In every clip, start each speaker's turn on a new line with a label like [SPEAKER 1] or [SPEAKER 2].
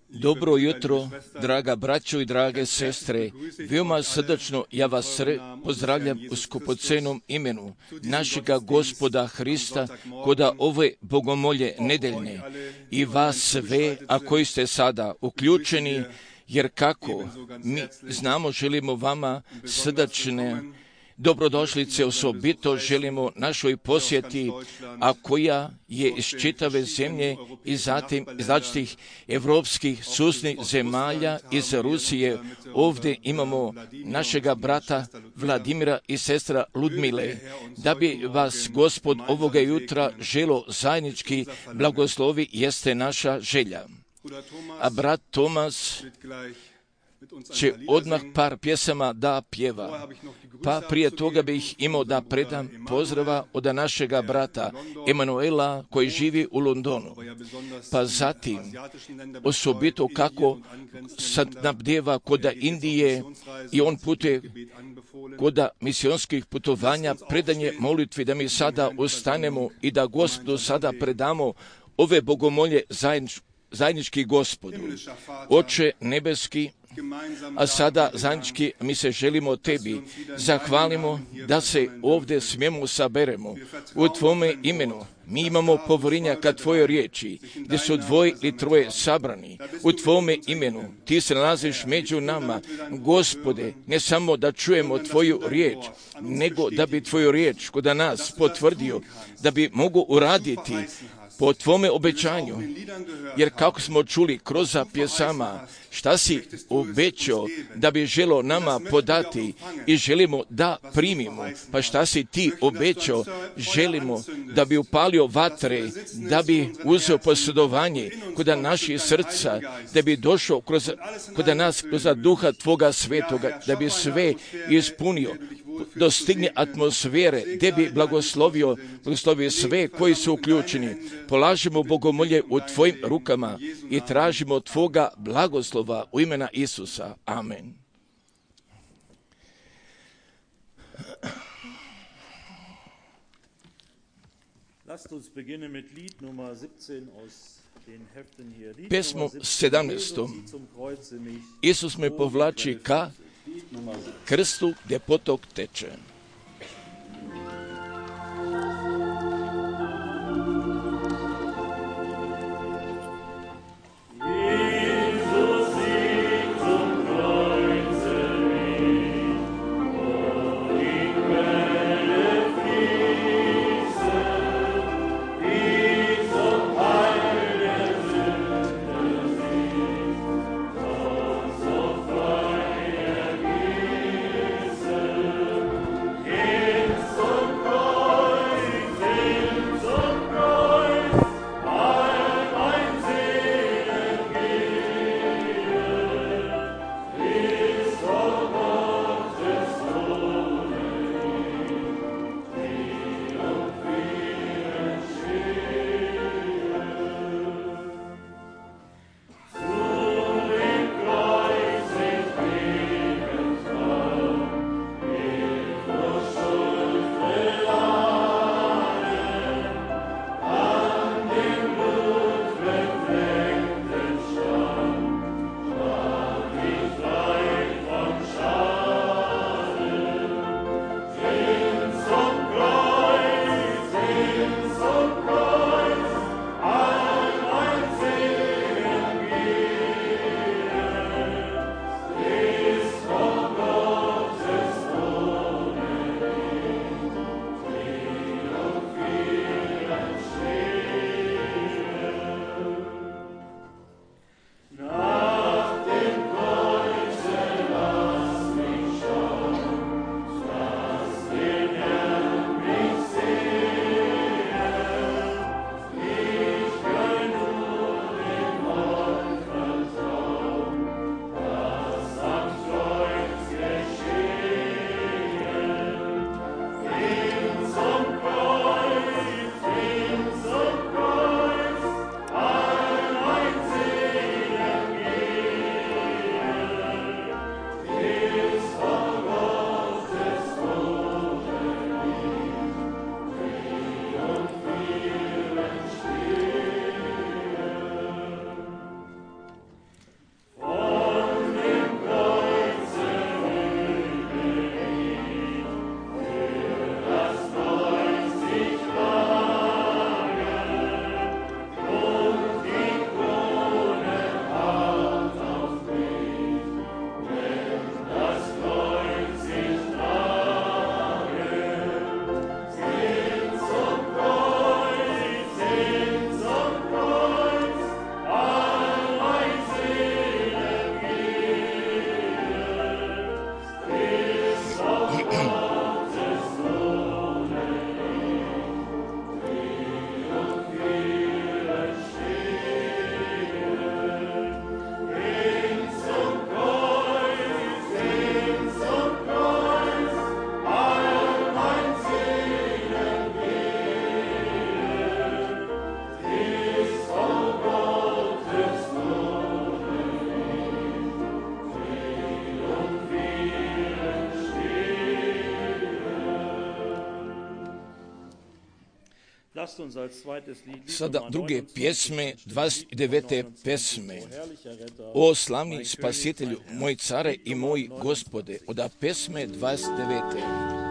[SPEAKER 1] Dobro jutro, draga braćo i drage sestre. Veoma srdačno ja vas pozdravljam u skupocenom imenu našega Gospoda Hrista koda ove bogomolje nedeljne i vas sve, a koji ste sada uključeni, jer kako mi znamo, želimo vama srdačne dobrodošlice, osobito želimo našoj posjeti, a koja je iz čitave zemlje i zatim iz različitih evropskih susjednih zemalja, iz Rusije. Ovdje imamo našega brata Vladimira i sestra Ludmile, da bi vas Gospod ovoga jutra želo zajednički blagoslovi, jeste naša želja. A brat Tomas će odmah par pjesama da pjeva. Pa prije toga bih imao da predam pozdrava od našega brata Emanuela koji živi u Londonu. Pa zatim osobito kako sad nabdjeva koda Indije i on putuje koda misionskih putovanja, predanje molitvi, da mi sada ustanemo i da Gospodu sada predamo ove bogomolje zajednički Gospodu. Oče nebeski, a sada zajednički mi se želimo tebi zahvalimo da se ovdje smijemo saberemo u tvome imenu. Mi imamo povjerenja ka tvojoj riječi, gdje su dvoje ili troje sabrani u tvome imenu. Ti se nalaziš među nama, Gospode, ne samo da čujemo tvoju riječ, nego da bi tvoju riječ kod nas potvrdio, da bi mogu uraditi po tvome obećanju, jer kako smo čuli kroz pjesama, šta si obećao da bi želo nama podati i želimo da primimo, pa šta si ti obećao, želimo da bi upalio vatre, da bi uzeo posjedovanje kod naših srca, da bi došao kod nas kroz duha tvoga svetoga, da bi sve ispunio, dostigne atmosfere, gdje bi blagoslovio sve koji su uključeni. Polažimo bogomolje u tvojim rukama i tražimo tvoga blagoslova u imena Isusa. Amen. Pjesmu 17. Isus me povlači ka krstu gdje potok teče. Sada druge pjesme, 29. pesme. O slavni spasitelju, moj care i moj Gospode, od pesme 29.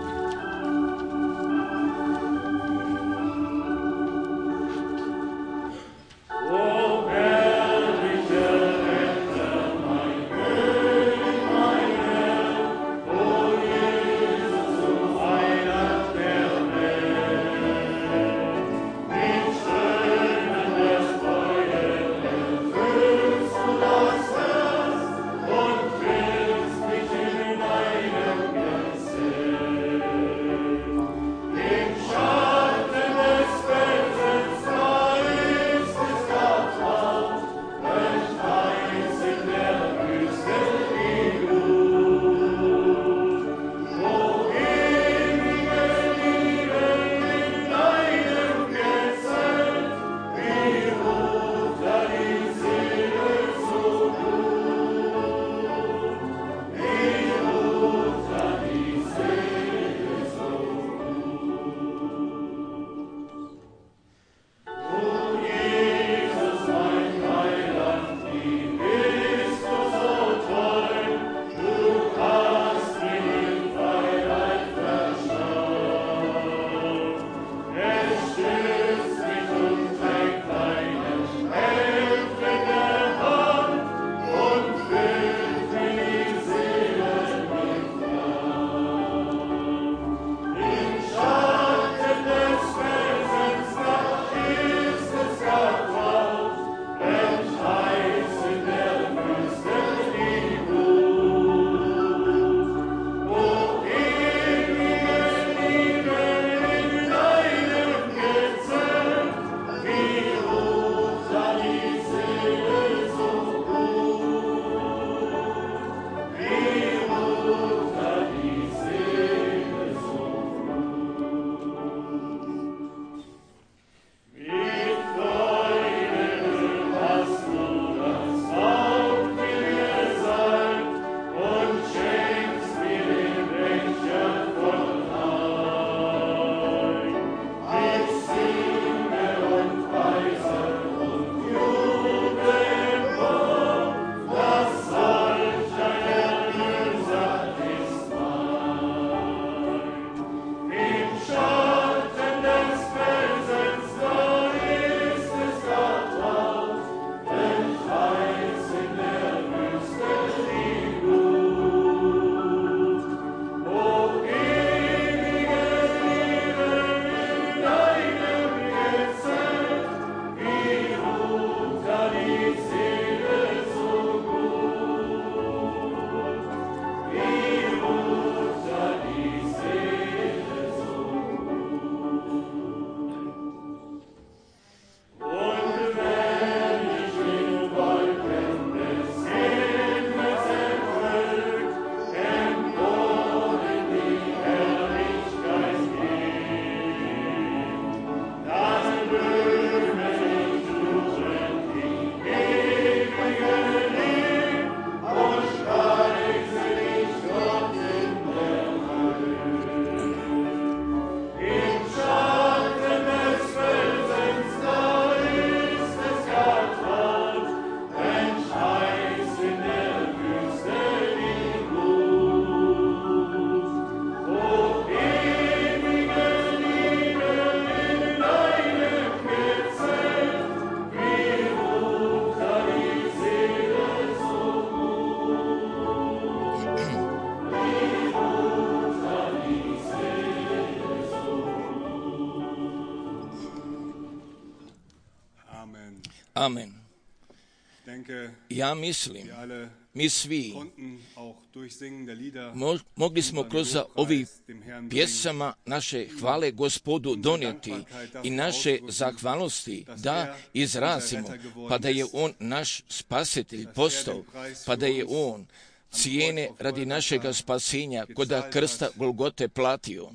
[SPEAKER 1] Amen. Ja mislim, mi svi mogli smo kroz ovih pjesama naše hvale Gospodu donijeti i naše zahvalnosti da izrazimo, pa da je On naš spasitelj postao, pa da je On cijene radi našega spasenja kod krsta Golgote platio,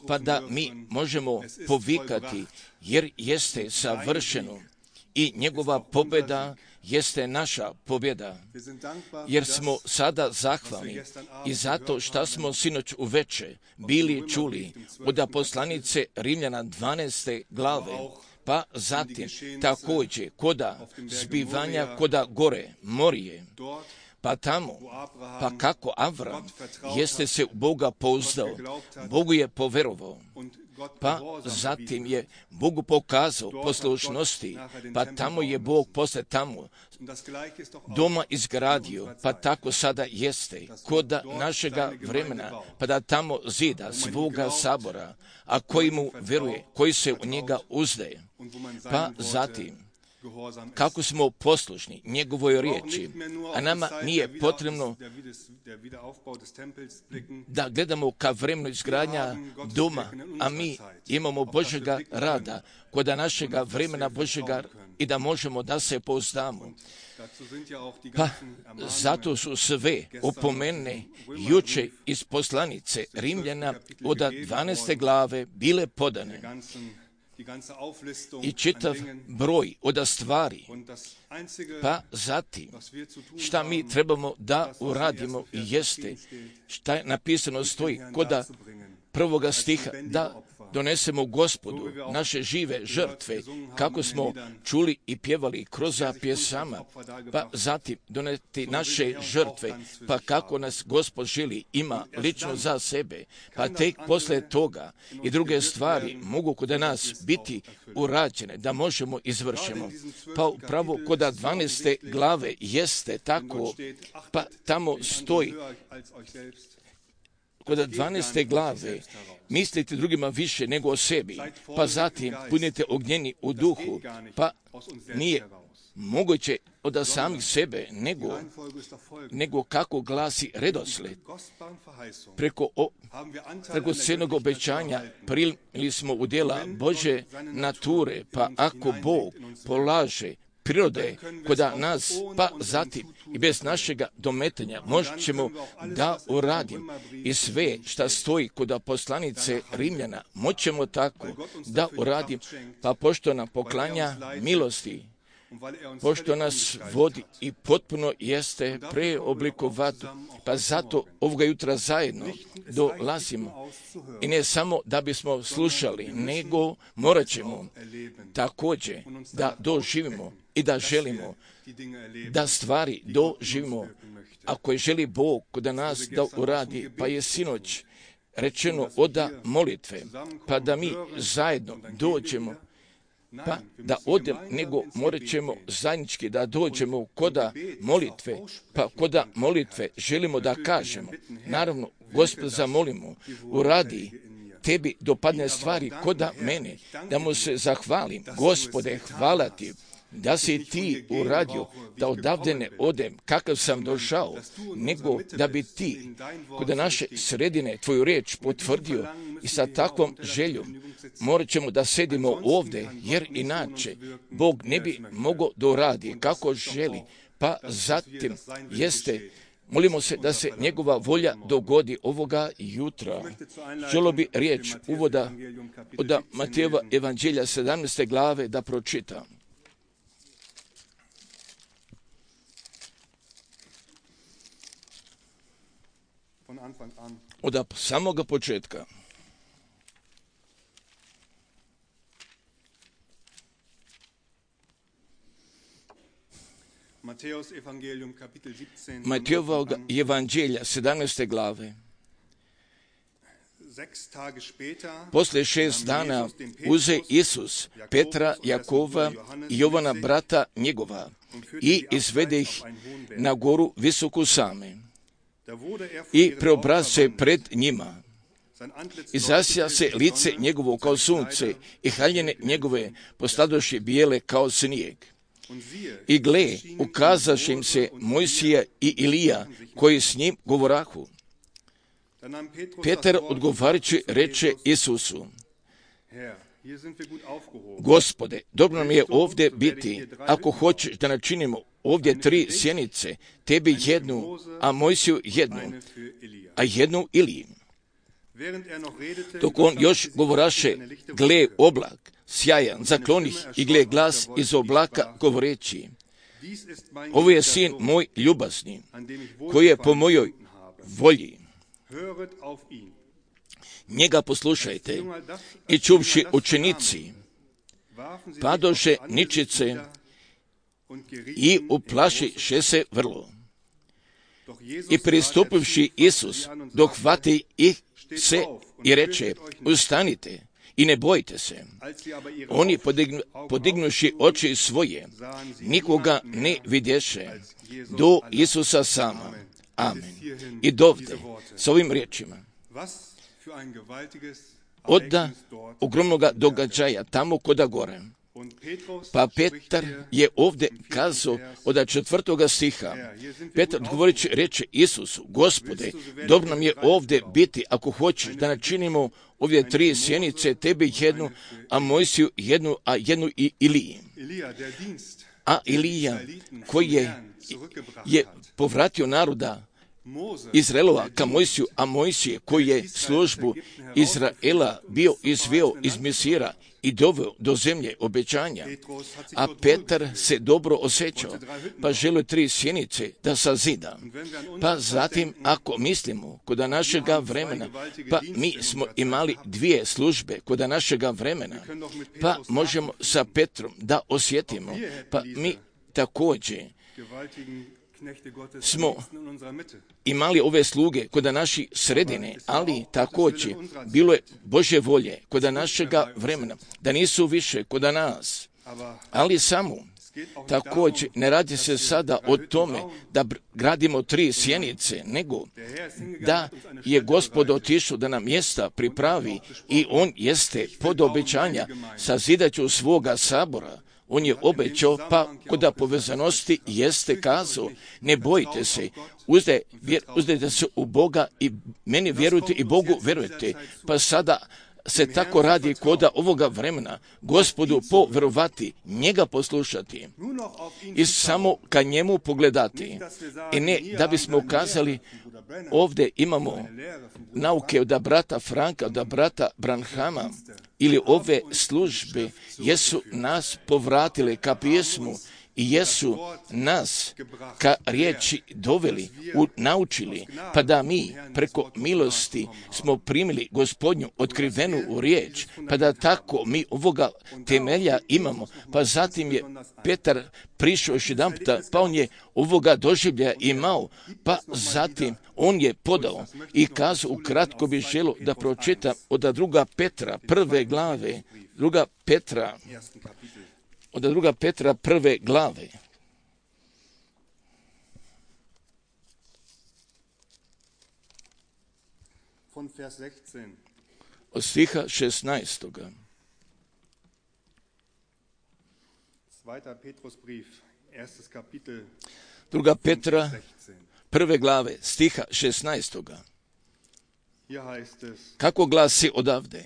[SPEAKER 1] pa da mi možemo povikati jer jeste savršeno i njegova pobjeda jeste naša pobjeda, jer smo sada zahvalni i zato što smo sinoć uveče bili čuli od poslanice Rimljana 12. glave, pa zatim također koda zbivanja koda gore Morije, pa tamo, pa kako Avram jeste se u Boga pouzdao, Bogu je poverovao, pa zatim je Bogu pokazao poslušnosti, pa tamo je Bog posle tamo doma izgradio, pa tako sada jeste kod našega vremena, pa da tamo zida svoga sabora, a koji mu veruje, koji se u njega uzdaje, pa zatim kako smo poslušni njegovoj riječi, a nama nije potrebno da gledamo ka vremenu izgradnja doma, a mi imamo Božjega rada kod našega vremena Božjega i da možemo da se pouzdamo. Pa zato su sve opomene juče iz poslanice Rimljana od 12. glave bile podane i čitav broj od stvari, pa zatim šta mi trebamo da uradimo jeste šta je napisano stoji koda prvoga stiha, da donesemo Gospodu naše žive žrtve, kako smo čuli i pjevali kroz pjesama, pa zatim doneti naše žrtve, pa kako nas Gospod želi, ima lično za sebe, pa tek posle toga i druge stvari mogu kod nas biti urađene, da možemo izvršimo. Pa upravo kod 12. glave jeste tako, pa tamo stoji kod 12. glave, mislite drugima više nego o sebi, pa zatim budite ognjeni u duhu, pa nije moguće od samih sebe, nego kako glasi redosled. Preko cijenog obećanja primili smo u djela Bože nature, pa ako Bog polaže prirode kod nas, pa zatim i bez našega dometanja možemo da uradim i sve šta stoji kod poslanice Rimljana, moćemo tako da uradim, pa pošto nam poklanja milosti, pošto nas vodi i potpuno jeste preoblikovati, pa zato ovoga jutra zajedno dolazimo i ne samo da bismo slušali, nego morat ćemo također da doživimo i da želimo da stvari doživimo. Ako je želi Bog kod nas da uradi, pa je sinoć rečeno od molitve, pa da mi zajedno dođemo, pa da odem, nego morat ćemo zajednički da dođemo koda molitve, pa koda molitve želimo da kažemo, naravno, Gospod zamolimo, uradi tebi dopadne stvari koda mene, da mu se zahvalim, Gospode, hvala ti, da si ti uradio, da odavde ne odem, kakav sam došao, nego da bi ti kod naše sredine tvoju riječ potvrdio i sa takvom željom morat ćemo da sedimo ovdje, jer inače Bog ne bi mogao da uradi kako želi, pa zatim jeste, molimo se da se njegova volja dogodi ovoga jutra. Želo bi riječ uvoda od Matejeva evanđelja 17. glave da pročitam. Od samoga početka. Matejevog evanđelja 17. glave. Posle 6 dana uze Isus Petra, Jakova i Jovana brata njegova i izvede ih na goru visoku same i preobraz se pred njima. I zasja se lice njegovo kao sunce i haljine njegove postadoše bijele kao snijeg. I gle, ukazaše im se Mojsija i Ilija, koji s njim govorahu. Petar odgovarajući reče Isusu: Gospode, dobro nam je ovdje biti, ako hoćeš da načinimo ovdje 3 sjenice, tebi jednu, a Mojsiju jednu, a jednu Iliji. Dok on još govoraše, gle, oblak sjajan, zaklonih i gle glas iz oblaka govoreći: ovo je sin moj ljubazni, koji je po mojoj volji. Njega poslušajte. I čuvši učenici, padoše ničice i uplašiše se vrlo. I pristupivši Isus, dohvati ih se i reče: ustanite i ne bojte se. Oni podignuši oči svoje, nikoga ne vidješe, do Isusa sama. Amen. I dovde, s ovim riječima, odda ogromnoga događaja tamo koda gore. Pa Petar je ovdje kazao od 4. stiha. Petar odgovorići reče Isusu: Gospode, dobro nam je ovdje biti, ako hoćeš da načinimo ovdje 3 sjenice, tebi jednu, a Mojsiju jednu, a jednu i Iliji. A Ilija, koji je povratio naroda Izraelova ka Mojsiju, a Mojsije koji je službu Izraela bio izveo iz Misira i doveo do zemlje obećanja. A Petar se dobro osjećao, pa želio 3 sjenice da sazida. Pa zatim, ako mislimo kod našega vremena, pa mi smo imali 2 službe kod našega vremena, pa možemo sa Petrom da osjetimo, pa mi također smo imali ove sluge kod naše sredine, ali također bilo je Božje volje kod našega vremena, da nisu više kod nas, ali samo također ne radi se sada o tome da gradimo 3 sjenice, nego da je Gospod otišao da nam mjesta pripravi i on jeste pod obećanja sazidaću svoga sabora. On je obećao, pa kod povezanosti jeste kazao: ne bojte se, uzdajte se u Boga i meni vjerujte i Bogu vjerujte. Pa sada se tako radi kod ovoga vremena, Gospodu povjerovati, njega poslušati i samo ka njemu pogledati. I ne da bismo kazali: ovdje imamo nauke od brata Franka, od brata Branhama, ili ove službe jesu nas povratile ka pjesmu i jesu nas ka riječi doveli, naučili, pa da mi preko milosti smo primili Gospodnju otkrivenu riječ, pa da tako mi ovoga temelja imamo. Pa zatim je Petar prišao još jedan puta, pa on je ovoga doživljaja imao, pa zatim on je podao i kazao, ukratko bi želio da pročitam od 2. Petra 1. glave, 2. Petra, od 2. Petra 1. glave. Od stiha 16. 2. Petra 1. glave, stiha 16. Kako glasi odavde?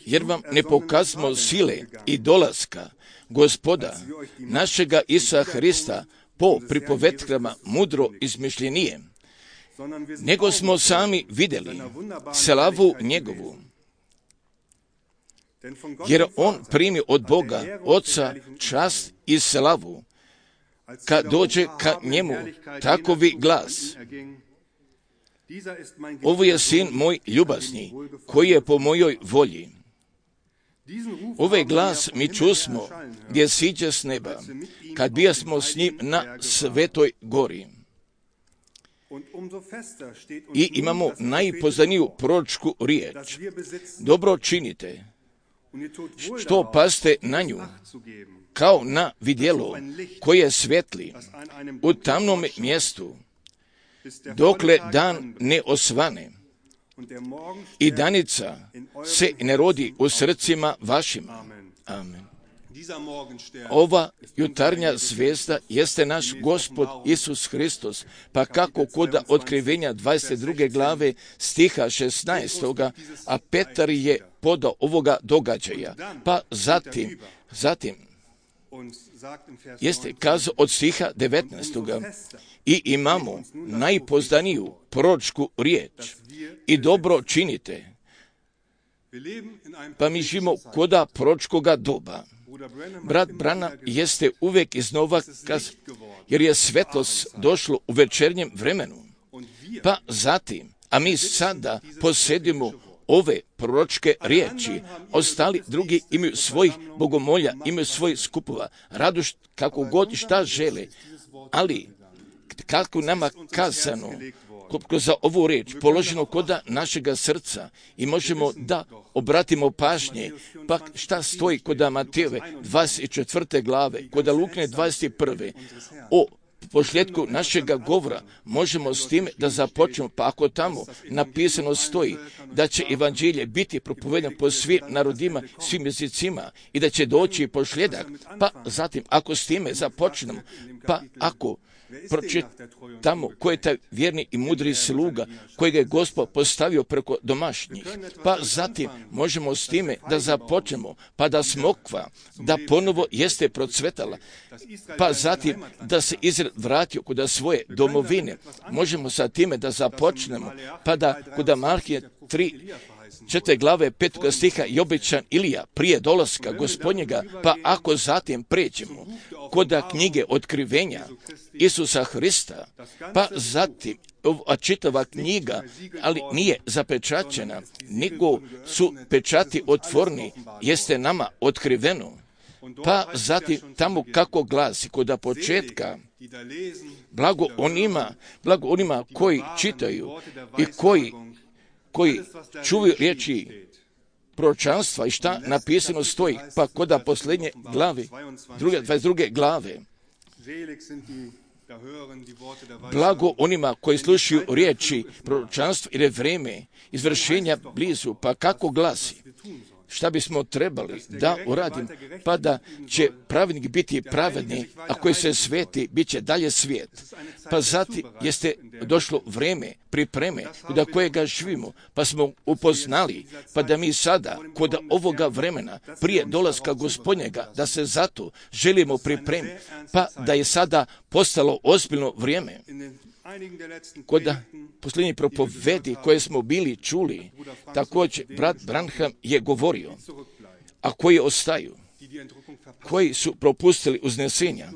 [SPEAKER 1] Jer vam ne pokazmo sile i dolaska Gospoda našega Isusa Hrista po pripovetkama mudro izmišljenije, nego smo sami vidjeli slavu njegovu. Jer on primi od Boga Oca čast i slavu, kad dođe ka njemu takovi glas: ovo je sin moj ljubazni, koji je po mojoj volji. Ovaj glas mi čusmo gdje siđe s neba, kad bijasmo s njim na Svetoj gori. I imamo najpoznaniju proročku riječ: dobro činite, što paste na nju, kao na vidjelo koje svetli u tamnom mjestu, dokle dan ne osvane i danica se ne rodi u srcima vašima. Amen. Ova jutarnja zvijezda jeste naš Gospod Isus Hristos, pa kako kod otkrivenja 22. glave stiha 16. a Petar je podao ovoga događaja, pa zatim jeste kazao od stiha 19. i imamo najpoznaniju proročku riječ: i dobro činite, Pa mi živimo koda proročkoga doba. Brat Branham jeste uvijek iznova jer je svetlost došlo u večernjem vremenu. Pa zatim, a mi sada posjedimo ove proročke riječi, ostali drugi imaju svojih bogomolja, imaju svojih skupova, radu kako god šta žele, ali kako nama kazano, kroz ovu riječ položeno koda našega srca i možemo da obratimo pažnje, pa šta stoji koda Matejove 24. glave, koda Lukine 21. o posljedku našega govora možemo s time da započnemo, pa ako tamo napisano stoji da će evanđelje biti propovedano po svim narodima, svim jezicima i da će doći posljedak, pa zatim ako s time započnemo, pa ako pročitamo ko je taj vjerni i mudri sluga kojeg je Gospod postavio preko domašnjih, pa zatim možemo s time da započnemo, pa da smokva, da ponovo jeste procvetala, pa zatim da se Izrael vratio kod svoje domovine, možemo sa time da započnemo, pa da kod Malahije 4. glave 5. stiha je obećan Ilija prije dolaska Gospodnjega, pa ako zatim pređemo kod knjige otkrivenja Isusa Hrista, pa zatim čitava knjiga, ali nije zapečaćena, nego su pečati otvorni, jeste nama otkriveno. Pa zatim tamo kako glasi kod početka, blago onima koji čitaju i koji čuvaju riječi proročanstva i šta napisano stoji, pa koda posljednje glave, 22. glave. Blago onima koji slušaju riječi proročanstva jer je vrijeme izvršenja blizu, pa kako glasi? Šta bismo trebali da uradim, pa da će pravednik biti pravedni, a koji se sveti, bit će dalje svijet. Pa zatim jeste došlo vrijeme pripreme kod kojega živimo, pa smo upoznali, pa da mi sada, kod ovoga vremena, prije dolaska Gospodnjega, da se zato želimo pripremiti, pa da je sada postalo ozbiljno vrijeme. Kod posljednjih propovedi koje smo bili čuli, također brat Branham je govorio, a koji ostaju, koji su propustili uznesenja,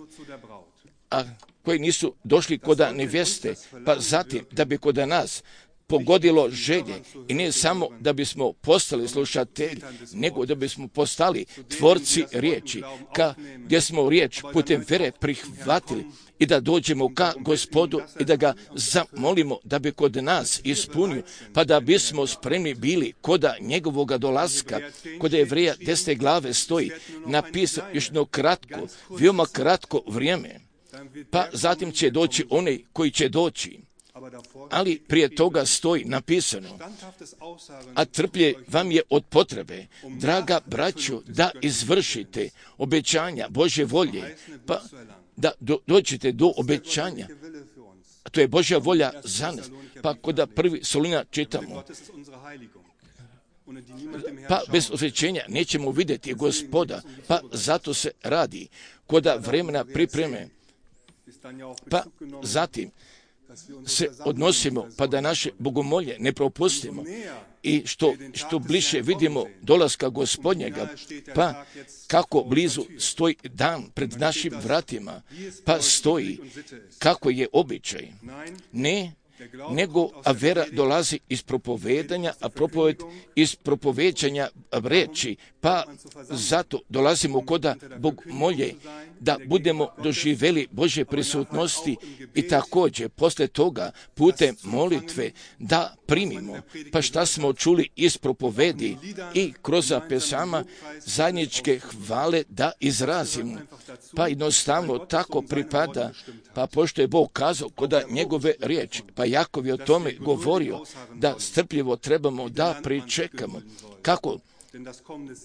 [SPEAKER 1] a koji nisu došli kod nevjeste, pa zatim da bi kod nas pogodilo želje i ne samo da bismo postali slušatelji, nego da bismo postali tvorci riječi, gdje smo riječ putem vere prihvatili i da dođemo ka Gospodu i da ga zamolimo da bi kod nas ispunio, pa da bismo spremni bili koda njegovoga dolaska. Kod Jevreja 10. glave stoji napisano još jedno kratko, veoma kratko vrijeme, pa zatim će doći onaj koji će doći. Ali prije toga stoji napisano, a trplje vam je od potrebe, draga braćo, da izvršite obećanja Božje volje, pa da dođete do obećanja. A to je Božja volja za nas. Pa kod 1. Soluna čitamo, pa bez osvećenja nećemo vidjeti Gospoda, pa zato se radi kod vremena pripreme, pa zatim se odnosimo, pa da naše bogomolje ne propustimo i što bliže vidimo dolaska Gospodnjega, pa kako blizu stoji dan pred našim vratima, pa stoji kako je običaj. Ne, nego a vera dolazi iz propovedanja, a propoved iz propoveđanja reči, pa zato dolazimo koda bogomolje, da budemo doživjeli Božje prisutnosti i također posle toga putem molitve da primimo, pa šta smo čuli iz propovedi i kroz pesama zajedničke hvale da izrazimo, pa jednostavno tako pripada, pa pošto je Bog kazao koda njegove riječi, pa Jakov je o tome govorio da strpljivo trebamo da pričekamo. Kako?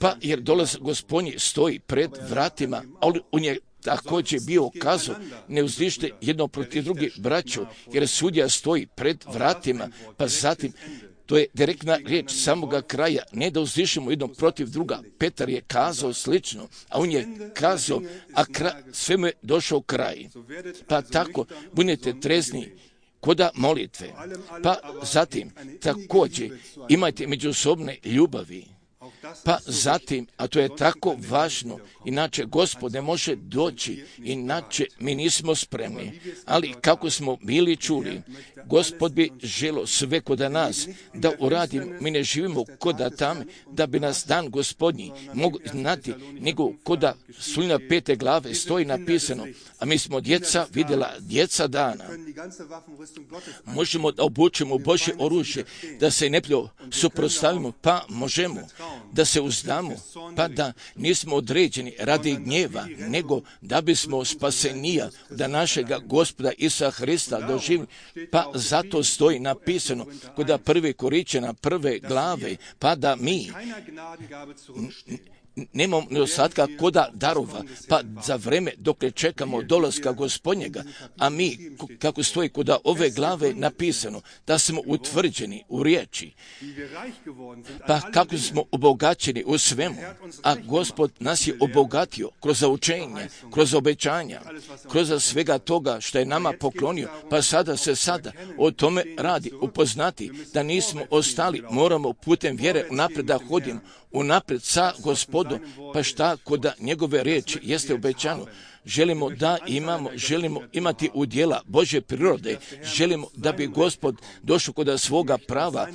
[SPEAKER 1] Pa jer dolaz Gospodnji stoji pred vratima, ali on je također bio kazao, ne uzdište jedno protiv drugih braćo, jer sudija stoji pred vratima, pa zatim to je direktna riječ samoga kraja, ne da uzdišemo jedno protiv druga. Petar je kazao slično, a on je kazao, a sve mu je došao kraj. Pa tako, budite trezni koda molitve. Pa zatim, također, imajte međusobne ljubavi. Pa zatim, a to je tako važno, inače Gospod ne može doći, inače mi nismo spremni. Ali kako smo bili čuli, Gospod bi želio sve kod nas da uradim. Mi ne živimo koda tam da bi nas dan Gospodnji mogu znati, nego koda Sulja 5. glave stoji napisano, a mi smo djeca vidjela djeca dana. Možemo da obučemo Božje oružje, da se neprijatelju suprotstavimo, pa možemo da se uzdamo, pa da nismo određeni radi gnjeva, nego da bismo spasenija da našega Gospoda Isusa Hrista doživili, pa zato stoji napisano kod 1. Korinćana 1. glave, pa da mi nemamo nedostatka koda darova, pa za vreme dok ne čekamo dolaska Gospodnjega, a mi, kako stoji kod ove glave napisano, da smo utvrđeni u riječi, pa kako smo obogaćeni u svemu, a Gospod nas je obogatio kroz učenje, kroz obećanja, kroz svega toga što je nama poklonio, pa sada o tome radi, upoznati da nismo ostali, moramo putem vjere unaprijed da hodimo, unaprijed sa Gospodom, pa šta kod njegove riječi jeste obećano. Želimo da imamo, želimo imati udjela Božje prirode, želimo da bi Gospod došao kod svoga prava,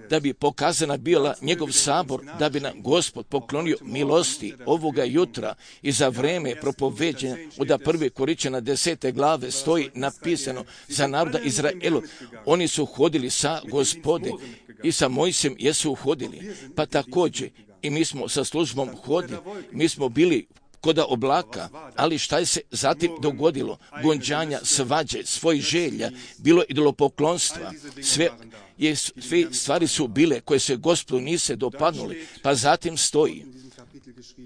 [SPEAKER 1] da bi pokazana bila njegov sabor, da bi nam Gospod poklonio milosti ovoga jutra i za vreme propoveđenja od 1. Korinćana 10. glave stoji napisano za naroda Izraelu. Oni su hodili sa Gospode i sa Mojsijem jesu hodili, pa također i mi smo sa službom hodili, mi smo bili koda oblaka, ali šta je se zatim dogodilo? Gonđanja, svađe, svojih želja, bilo idolopoklonstva, sve stvari su bile koje se Gospodu nise dopadnuli, pa zatim stoji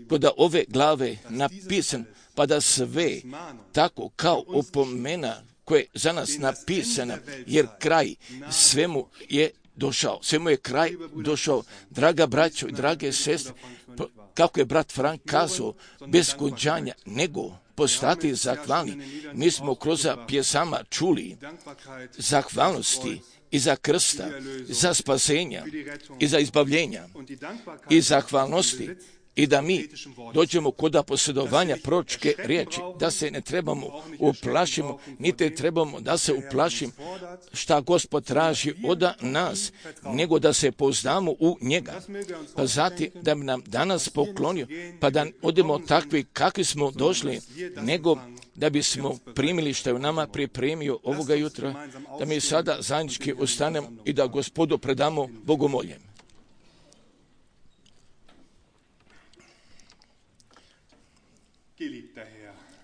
[SPEAKER 1] kod ove glave napisan, pa da sve tako kao opomena koje je za nas napisana, jer kraj svemu je došao, svemu je kraj došao. Draga braćo i drage sestre, kako je brat Frank kazao, bez gonđanja, nego postati zahvalni. Mi smo kroz pjesama čuli zahvalnosti i za krsta, za spasenja i za izbavljenja i zahvalnosti, i da mi dođemo kod posjedovanja proročke riječi, da se ne trebamo uplašimo, niti trebamo da se uplašimo šta Gospod traži od nas, nego da se pouzdamo u njega. Pa zatim da bi nam danas poklonio, pa da odemo takvi kakvi smo došli, nego da bismo primili što je u nama pripremio ovoga jutra, da mi sada zajednički ustanemo i da Gospodu predamo bogomolje.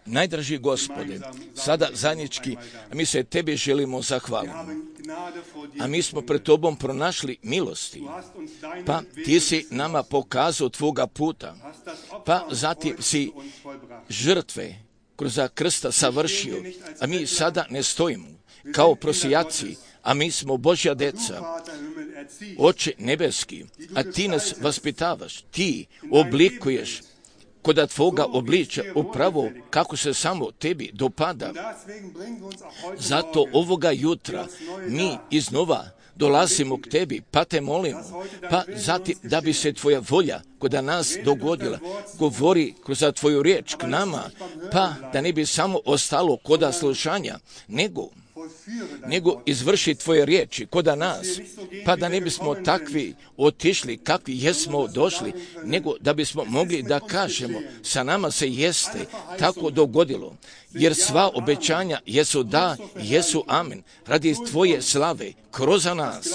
[SPEAKER 1] Najdraži Gospode, sada zajednički, a mi se Tebi želimo zahvaliti. A mi smo pred Tobom pronašli milosti, pa Ti si nama pokazao Tvoga puta, pa zatim si žrtve kroz krsta savršio, a mi sada ne stojimo kao prosijaci, a mi smo Božja deca. Oče nebeski, a Ti nas vaspitavaš, Ti oblikuješ kod Tvoga obliča upravo kako se samo Tebi dopada. Zato ovoga jutra mi iznova dolazimo k Tebi, pa Te molimo, pa zatim da bi se Tvoja volja kod nas dogodila, govori kroz Tvoju riječ k nama, pa da ne bi samo ostalo kod slušanja, nego izvrši Tvoje riječi kod nas, pa da ne bismo takvi otišli kakvi jesmo došli, nego da bismo mogli da kažemo sa nama se jeste tako dogodilo, jer sva obećanja jesu da, jesu amen, radi Tvoje slave kroz nas,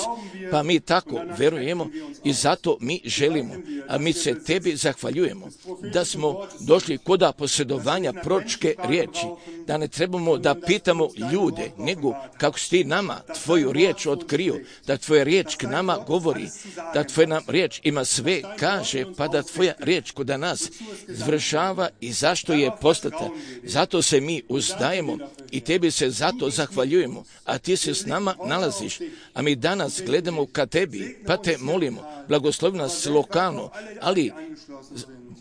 [SPEAKER 1] pa mi tako verujemo i zato mi želimo, a mi se Tebi zahvaljujemo da smo došli kod posjedovanja proročke riječi, da ne trebamo da pitamo ljude, nego kako si Ti nama Tvoju riječ otkrio, da Tvoja riječ k nama govori, da Tvoja nam riječ ima sve kaže, pa da Tvoja riječ kod nas izvršava i zašto je poslata. Zato se mi uzdajemo i Tebi se zato zahvaljujemo, a Ti se s nama nalaziš, a mi danas gledamo ka Tebi, pa Te molimo, blagoslovi nas lokalno, ali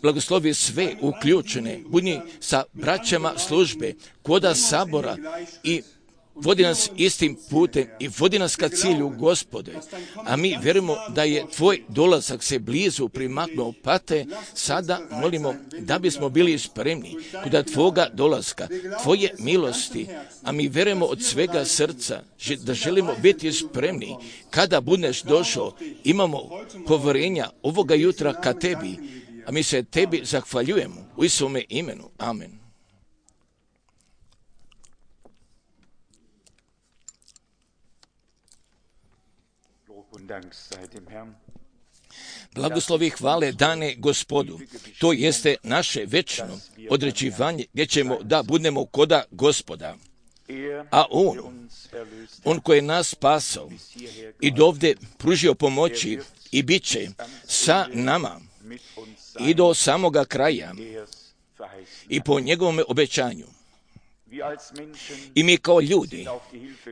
[SPEAKER 1] blagoslovi sve uključene, budi sa braćama službe, koda sabora i vodi nas istim putem i vodi nas ka cilju, Gospode. A mi vjerujemo da je Tvoj dolazak se blizu primaknuo, pa te sada molimo da bismo bili spremni kod Tvoga dolaska, Tvoje milosti, a mi vjerujemo od svega srca da želimo biti spremni kada budeš došao. Imamo povjerenja ovoga jutra ka Tebi, a mi se Tebi zahvaljujemo u Isuse imenu. Amen. Blagoslovi hvale dane Gospodu. To jeste naše večno određivanje gdje ćemo da budemo koda Gospoda. A On koji je nas spasao i dovde pružio pomoći i bit će sa nama i do samoga kraja i po njegovom obećanju. I mi kao ljudi,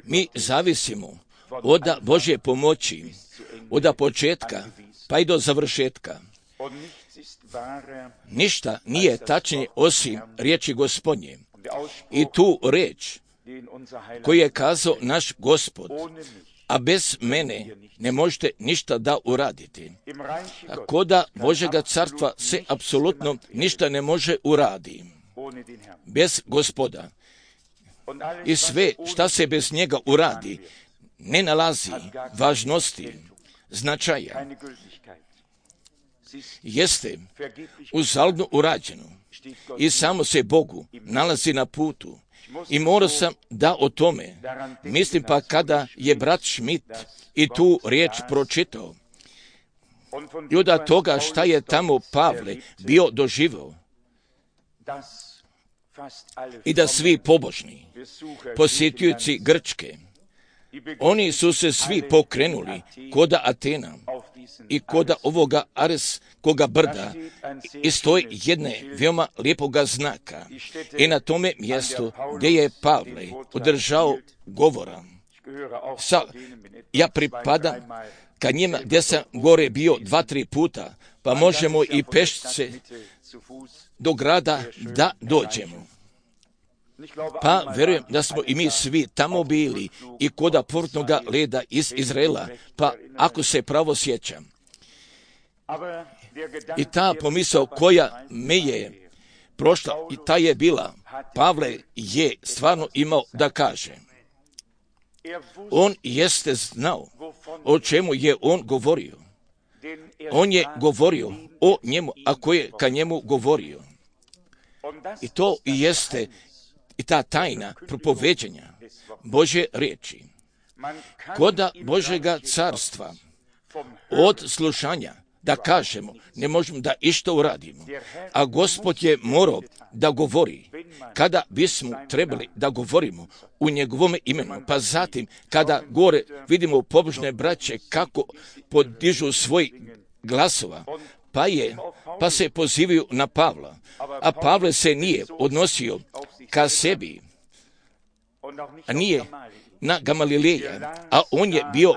[SPEAKER 1] mi zavisimo od Božje pomoći, od početka pa i do završetka. Ništa nije tačnije osim riječi Gospodnje. I tu riječ koju je kazao naš Gospod, a bez mene ne možete ništa da uraditi. Koda Božjega carstva se apsolutno ništa ne može uraditi bez Gospoda. I sve šta se bez njega uradi ne nalazi važnosti, značaja. Jeste uzaludno urađeno i samo se Bogu nalazi na putu. I morao sam da o tome mislim, pa kada je brat Schmidt i tu riječ pročitao i od toga šta je tamo Pavle bio doživio i da svi pobožni posjetioci Grčke, oni su se svi pokrenuli koda Atena i koda ovoga Areskoga brda i stoji jedne veoma lijepoga znaka. I na tome mjestu gdje je Pavle održao govora. Ja pripadam ka njima gdje sam gore bio 2-3 puta, pa možemo i pešce do grada da dođemo. Pa vjerujem da smo i mi svi tamo bili i koda portnoga leda iz Izraela, pa ako se pravo sjećam. I ta pomisao koja me je prošla, i ta je bila, Pavle je stvarno imao da kaže. On jeste znao o čemu je on govorio. On je govorio o njemu, ako je ka njemu govorio. I to jeste i ta tajna propoveđenja Božje riječi. Koda Božjega carstva od slušanja, da kažemo, ne možemo da išta uradimo. A Gospod je morao da govori kada bismo trebali da govorimo u njegovom imenu. Pa zatim, kada gore vidimo pobožne braće kako podižu svoj glasova, pa se pozivaju na Pavla. A Pavle se nije odnosio ka sebi, a nije na Gamalileja, a on je bio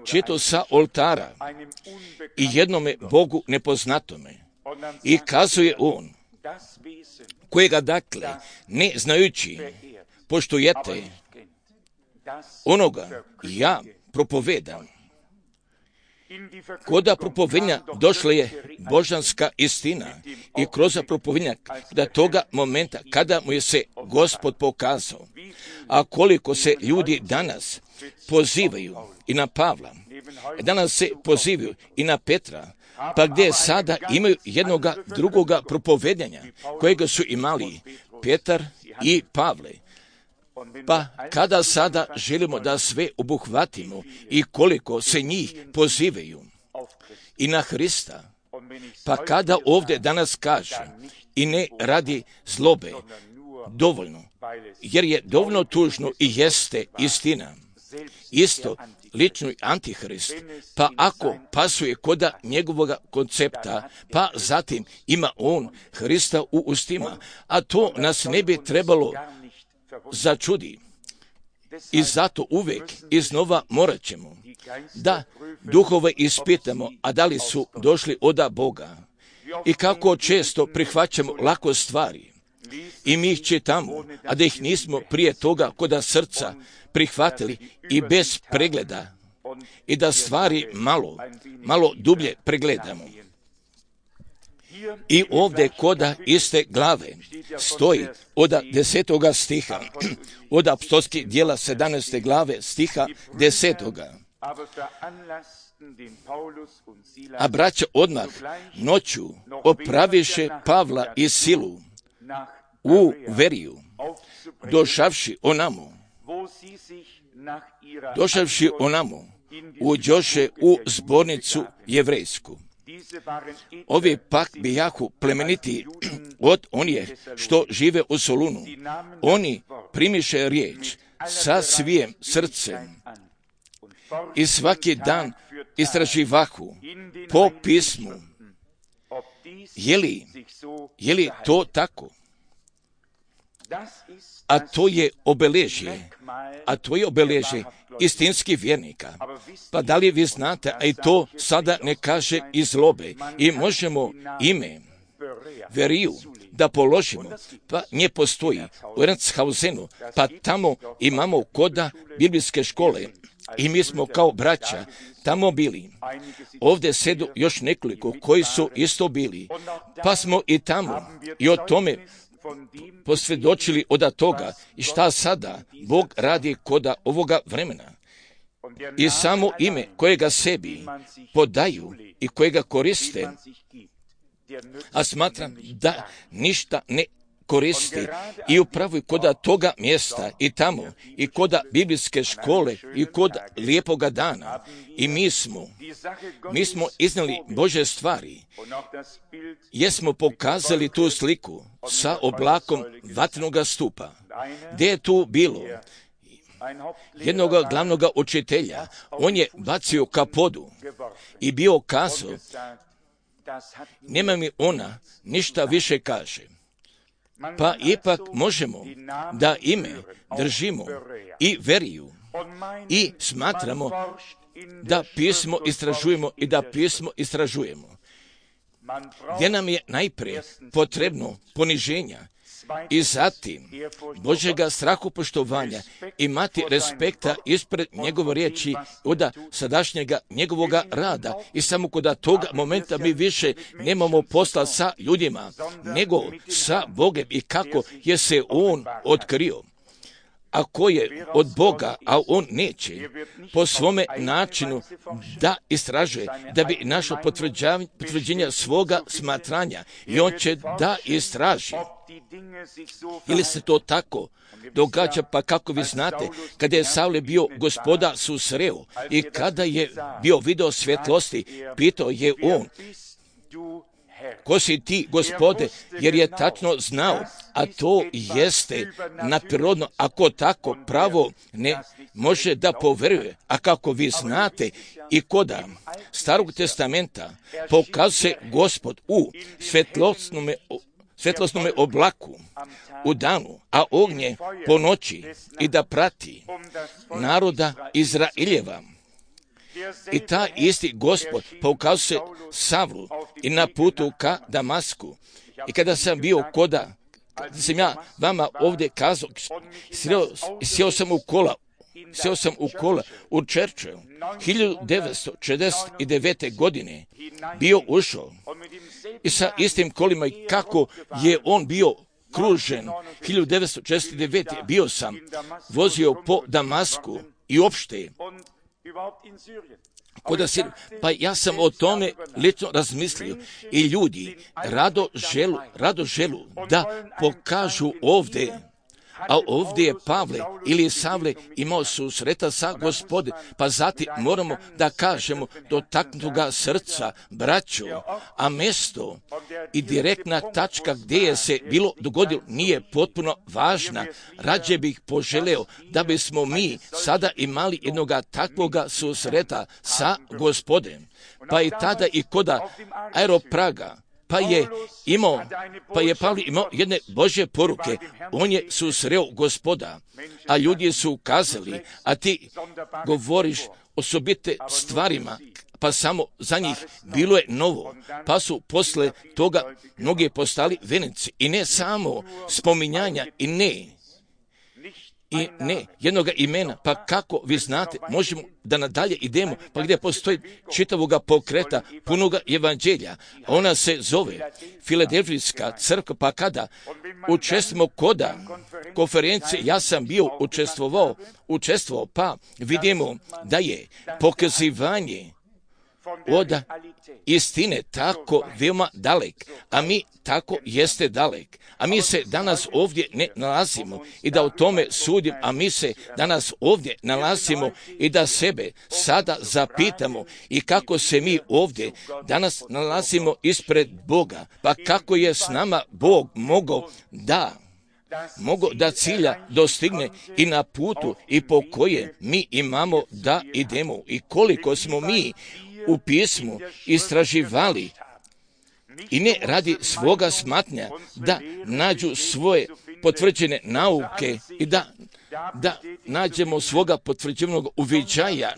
[SPEAKER 1] čitao sa oltara i jednome Bogu nepoznatome. I kazuje on, kojega dakle, ne znajući, poštujete onoga ja propovedam. Koda propovedanja došla je božanska istina i kroz propovedanja da toga momenta kada mu je se Gospod pokazao. A koliko se ljudi danas pozivaju i na Pavla, danas se pozivaju i na Petra, pa gdje sada imaju jednoga drugoga propovedanja kojega su imali Petar i Pavle. Pa kada sada želimo da sve obuhvatimo i koliko se njih pozivaju i na Hrista, pa kada ovdje danas kaže i ne radi zlobe, dovoljno, jer je dovoljno tužno i jeste istina. Isto lični antihrist, pa ako pasuje koda njegovog koncepta, pa zatim ima on Hrista u ustima, a to nas ne bi trebalo začudi. I zato uvijek iznova morat ćemo da duhove ispitamo, a da li su došli od Boga. I kako često prihvaćamo lako stvari I mi ih čitamo, a da ih nismo prije toga koda srca prihvatili i bez pregleda i da stvari malo dublje pregledamo. I ovdje koda iste glave stoji od 10. stiha, od apostolskih djela 17. glave stiha 10. A braća odmah noću opraviše Pavla i Silu u Veriju, došavši onamo, uđoše u zbornicu jevrejsku. Ovi pak bijahu plemeniti od onih što žive u Solunu. Oni primiše riječ sa svijim srcem i svaki dan istraživahu po pismu. Je li to tako? A to je obeležje istinskih vjernika. Pa da li vi znate, a i to sada ne kaže iz zlobe, i možemo ime Veriju da položimo, pa nje postoji u Ernsthausenu, pa tamo imamo koda biblijske škole i mi smo kao braća tamo bili. Ovdje sedu još nekoliko koji su isto bili, pa smo i tamo i o tome posvjedočili od toga i šta sada Bog radi koda ovoga vremena. I samo ime kojega sebi podaju i kojega koriste, a smatram da ništa ne koristi i upravo i koda toga mjesta i tamo i koda biblijske škole i kod lijepoga dana i mi smo iznijeli Božje stvari, jesmo pokazali tu sliku sa oblakom vatrenoga stupa, gdje je tu bilo jednog glavnog učitelja. On je bacio kapodu i bio kazao, nema mi ona ništa više kaže. Pa ipak možemo da ime držimo i Veriju i smatramo da pismo istražujemo i da pismo istražujemo. Gdje nam je najprije potrebno poniženja i zatim Božjega strahopoštovanja, imati respekta ispred njegove riječi od sadašnjega njegovoga rada i samo kod toga momenta mi više nemamo posla sa ljudima, nego sa Bogem i kako je se On otkrio. Ako je od Boga, a on neće po svome načinu da istražuje, da bi našao potvrđenja svoga smatranja i on će da istraži. Ili se to tako događa, pa kako vi znate, kada je Savle bio Gospoda susreo i kada je bio video svjetlosti, pitao je on, ko si ti, Gospode, jer je tačno znao, a to jeste naprirodno, ako tako pravo ne može da poveruje. A kako vi znate, i koda Starog testamenta pokazuje Gospod u svjetlosnome oblaku u danu, a ognje po noći i da prati naroda Izraeljeva. I ta isti Gospod pokazuje Savlu i na putu ka Damasku. I kada sam bio kada sam ja vama ovdje kazao, sjeo sam u kola u Churchill 1969. godine bio ušao i sa istim kolima i kako je on bio kružen 1969. bio sam vozio po Damasku i opšte pa ja sam o tome lično razmislio i ljudi rado želu da pokažu ovdje. A ovdje je Pavle ili Savle imao susreta sa Gospodom, pa zatim moramo da kažemo dotaknutoga srca, braćo, a mjesto i direktna tačka gdje je se bilo dogodilo nije potpuno važna. Rađe bih poželeo da bismo mi sada imali jednoga takvoga susreta sa Gospodem. Pa i tada i koda Aeropraga, pa je Pavle imao jedne Božje poruke. On je susreo Gospoda, a ljudi su kazali, a ti govoriš osobite stvarima, pa samo za njih bilo je novo, pa su posle toga mnogi postali vjernici. I ne samo spominjanja i ne jednoga imena, pa kako vi znate, možemo da nadalje idemo, pa gdje postoji čitavoga pokreta, punoga evanđelja. Ona se zove Filadelfijska crkva, pa kada učestvujemo koda konferencije, ja sam bio učestvovao, pa vidimo da je pokazivanje od istine tako veoma dalek, a mi tako jeste dalek. A mi se danas ovdje ne nalazimo i da o tome sudim, a mi se danas ovdje nalazimo i da sebe sada zapitamo i kako se mi ovdje danas nalazimo ispred Boga, pa kako je s nama Bog mogao da cilja dostigne i na putu i po koje mi imamo da idemo i koliko smo mi u pismu istraživali i ne radi svoga smatnja da nađu svoje potvrđene nauke i da nađemo svoga potvrđenog uviđaja,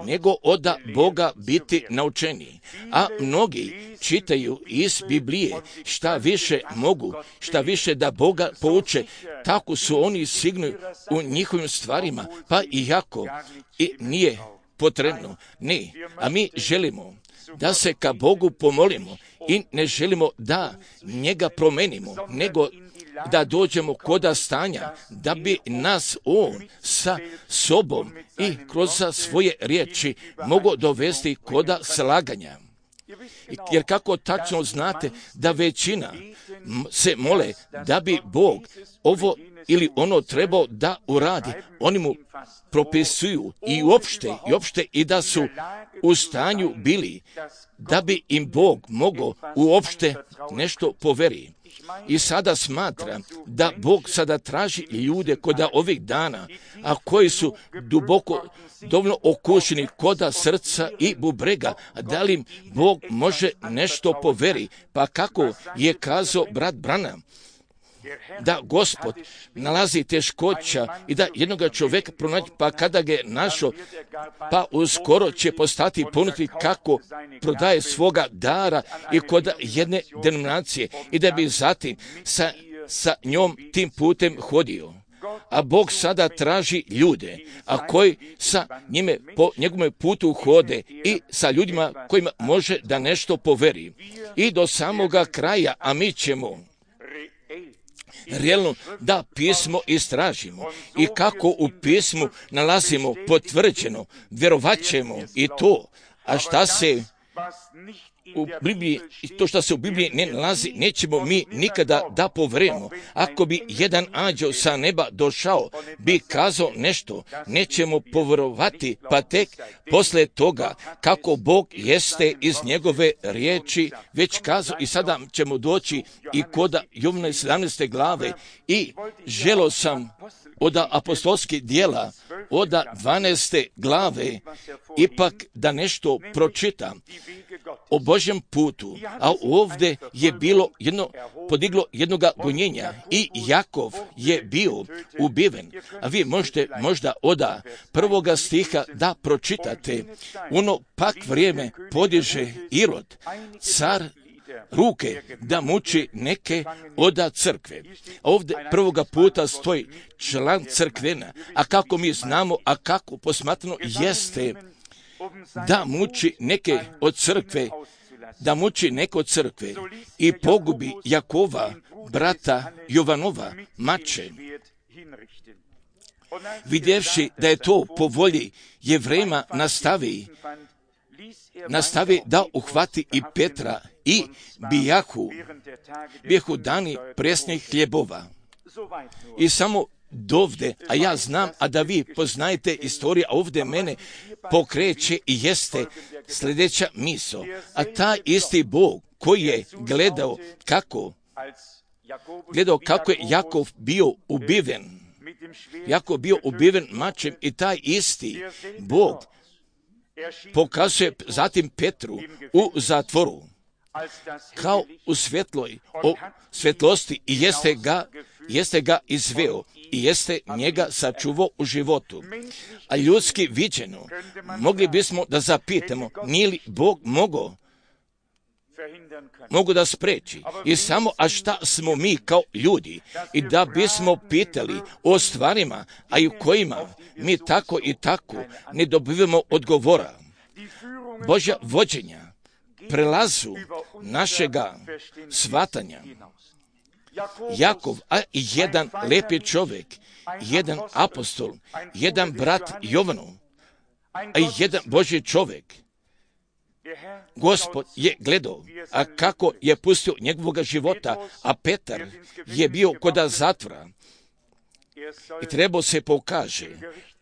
[SPEAKER 1] nego od Boga biti naučeni. A mnogi čitaju iz Biblije šta više mogu, šta više da Boga pouče, tako su oni sigurni u njihovim stvarima, pa iako i nije potrebno. Ne, a mi želimo da se ka Bogu pomolimo i ne želimo da njega promenimo, nego da dođemo koda stanja, da bi nas on sa sobom i kroz svoje riječi mogao dovesti koda slaganja. Jer kako tačno znate da većina se mole da bi Bog ovo ili ono trebao da uradi, oni mu propisuju i uopšte i da su u stanju bili da bi im Bog mogao uopšte nešto poveri. I sada smatra da Bog sada traži ljude koda ovih dana, a koji su duboko dovoljno okušeni koda srca i bubrega, da li im Bog može nešto poveri, pa kako je kazao brat Branham, da Gospod nalazi teškoća i da jednoga čovjeka pronaći, pa kada ga je našao, pa uskoro će postati ponuditi kako prodaje svoga dara i kod jedne denominacije i da bi zatim sa njom tim putem hodio. A Bog sada traži ljude, a koji sa njime po njegovom putu hode i sa ljudima kojima može da nešto poveri. I do samoga kraja, a mi ćemo realno da pismo istražimo i kako u pismu nalazimo potvrđeno, vjerovat ćemo i to, a šta se u Bibliji, to što se u Bibliji ne nalazi, nećemo mi nikada da poverujemo. Ako bi jedan anđeo sa neba došao, bi kazao nešto, nećemo poverovati, pa tek posle toga kako Bog jeste iz njegove riječi već kazao. I sada ćemo doći i kod Jovana 17. glave i želio sam od apostolskih dijela, od 12. glave, ipak da nešto pročitam o Božjem putu, a ovdje je bilo podiglo jednoga gonjenja i Jakov je bio ubiven. A vi možete možda od 1. stiha da pročitate. Ono pak vrijeme podiže Irod, car, ruke da muči neke od crkve. Ovdje prvoga puta stoji član crkvena, a kako mi znamo, a kako posmatrano jeste da muči neke od crkve, i pogubi Jakova, brata Jovanova, mače. Vidjevši da je to po volji Jevrejima, nastavi da uhvati i Petra i bijahu dani presnih hljebova. I samo dovde, a ja znam, a da vi poznajete istoriju, a ovdje mene pokreće i jeste sljedeća misao. A taj isti Bog koji je gledao kako je Jakov bio ubiven mačem, i taj isti Bog pokazuje zatim Petru u zatvoru kao u svjetlosti i jeste ga izveo i jeste njega sačuvao u životu. A ljudski viđeno, mogli bismo da zapitamo, nije li Bog mogu da spreči. I samo, a šta smo mi kao ljudi? I da bismo pitali o stvarima, a i u kojima mi tako i tako ne dobivamo odgovora. Božja vođenja prelazu našega shvatanja. Jakov, a jedan lepi čovjek, jedan apostol, jedan brat Jovanov, a jedan Božji čovjek. Gospod je gledao, a kako je pustio njegovog života, a Petar je bio koda zatvora i trebao se pokaže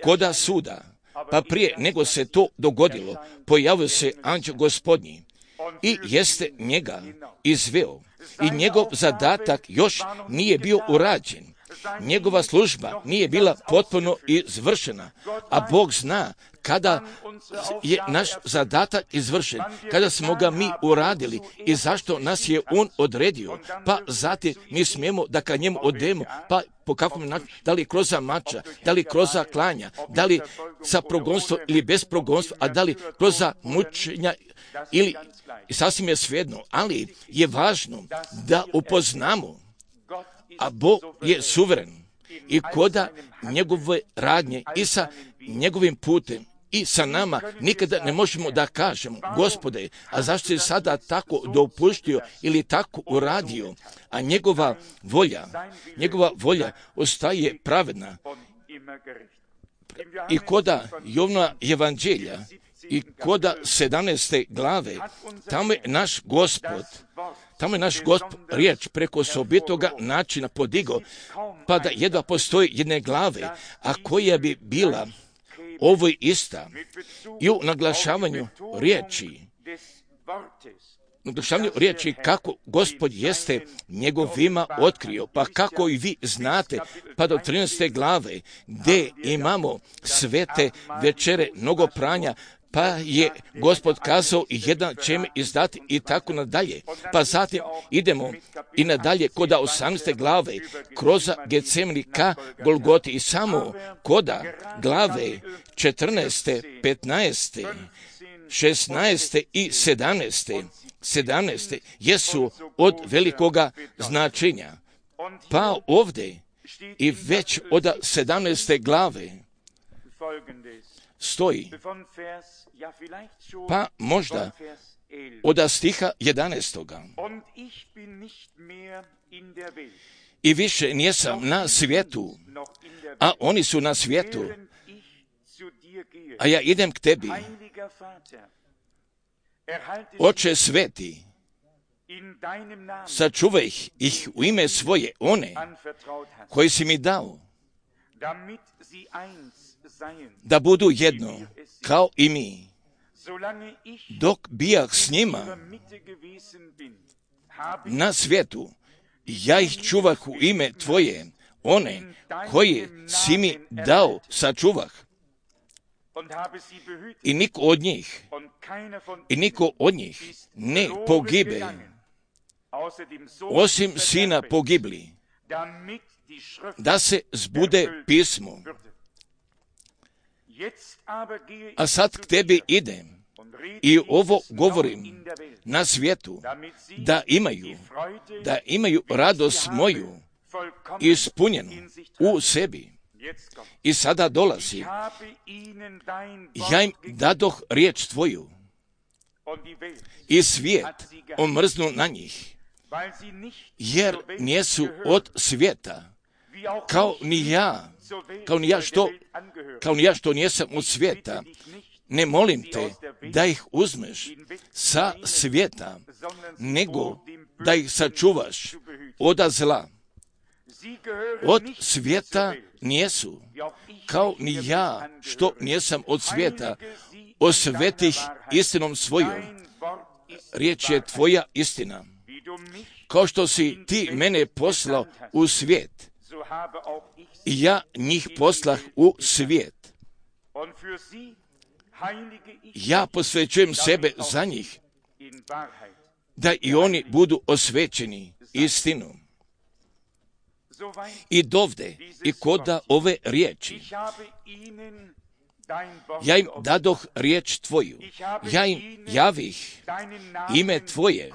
[SPEAKER 1] koda suda, pa prije nego se to dogodilo, pojavio se anđeo Gospodnji i jeste njega izveo i njegov zadatak još nije bio urađen. Njegova služba nije bila potpuno izvršena, a Bog zna kada je naš zadatak izvršen, kada smo ga mi uradili i zašto nas je On odredio, pa zatim mi smijemo da ka njemu odemo, pa po kakvom načinu, da li kroz mača, da li kroz klanja, da li sa progonstvom ili bez progonstva, a da li kroz mučenja ili sasvim je svejedno, ali je važno da upoznamo, a Bog je suveren i koda njegove radnje i sa njegovim putem i sa nama nikada ne možemo da kažemo, Gospode, a zašto si sada tako dopuštio ili tako uradio, a njegova volja ostaje pravedna. I koda Jovna evanđelja i koda 17. glave, tamo je naš Gospod riječ preko osobitoga načina podigao, pa da jedva postoji jedne glave, a koja bi bila ovo ista i u naglašavanju riječi kako Gospod jeste njegovima otkrio, pa kako i vi znate, pa do 13. glave gdje imamo svete večere, mnogo pranja, pa je Gospod kazao i jedan će mi izdati i tako nadalje. Pa zatim idemo i nadalje koda 18. glave kroz Getsemani ka Golgoti i samo koda glave 14., 15., 16. i 17. jesu od velikoga značenja. Pa ovdje i već od 17. glave stoji, pa možda od stiha 11. I više nijesam na svijetu, a oni su na svijetu, a ja idem k tebi. Oče sveti, sačuvaj ih u ime svoje, one koji si mi dao, da budu jedno, kao i mi. Dok bijah s njima na svijetu, ja ih čuvah u ime tvoje, one koje si mi dao, sačuvah. I niko od njih ne pogibe, osim sina pogibli, da se zbude pismo. A sad k tebi idem i ovo govorim na svijetu, da imaju radost moju ispunjenu u sebi. I sada dolazi, ja im dadoh riječ tvoju i svijet omrznu na njih, jer nijesu od svijeta, kao ni ja što nijesam od svijeta. Ne molim te da ih uzmeš sa svijeta, nego da ih sačuvaš od zla. Od svijeta nijesu, kao ni ja što nijesam od svijeta. Osvetih istinom svojom, riječ je tvoja istina. Kao što si ti mene poslao u svijet, i ja njih poslah u svijet. Ja posvećujem sebe za njih, da i oni budu osvećeni istinom. I dovde, i koda ove riječi. Ja im dadoh riječ Tvoju, ja im javih ime Tvoje,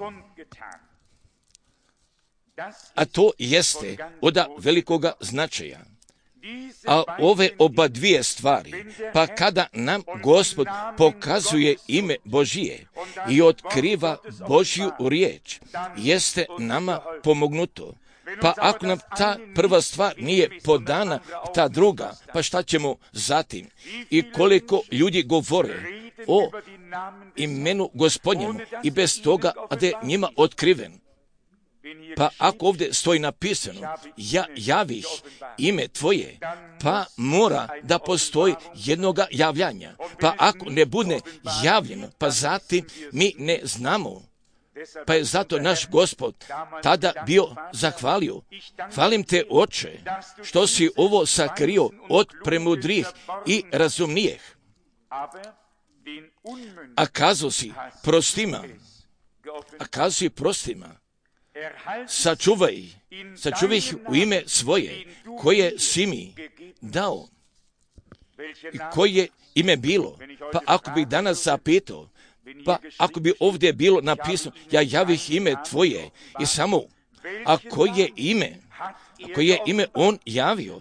[SPEAKER 1] a to jeste od velikoga značaja. A ove oba dvije stvari, pa kada nam Gospod pokazuje ime Božije i otkriva Božju riječ, jeste nama pomognuto. Pa ako nam ta prva stvar nije podana, ta druga, pa šta ćemo zatim? I koliko ljudi govore o imenu Gospodnjemu i bez toga da je njima otkriven. Pa ako ovdje stoji napisano, ja javih ime Tvoje, pa mora da postoji jednoga javljanja. Pa ako ne bude javljeno, pa zatim mi ne znamo. Pa je zato naš Gospod tada bio zahvalio. Hvalim te, Oče, što si ovo sakrio od premudrih i razumnijih. A kazao si prostima, sačuvaj ih u ime svoje, koje si mi dao. I koje ime bilo? Pa ako bih danas zapitao, pa ako bi ovdje bilo napisano, ja javih ime Tvoje i samo, a koje ime on javio?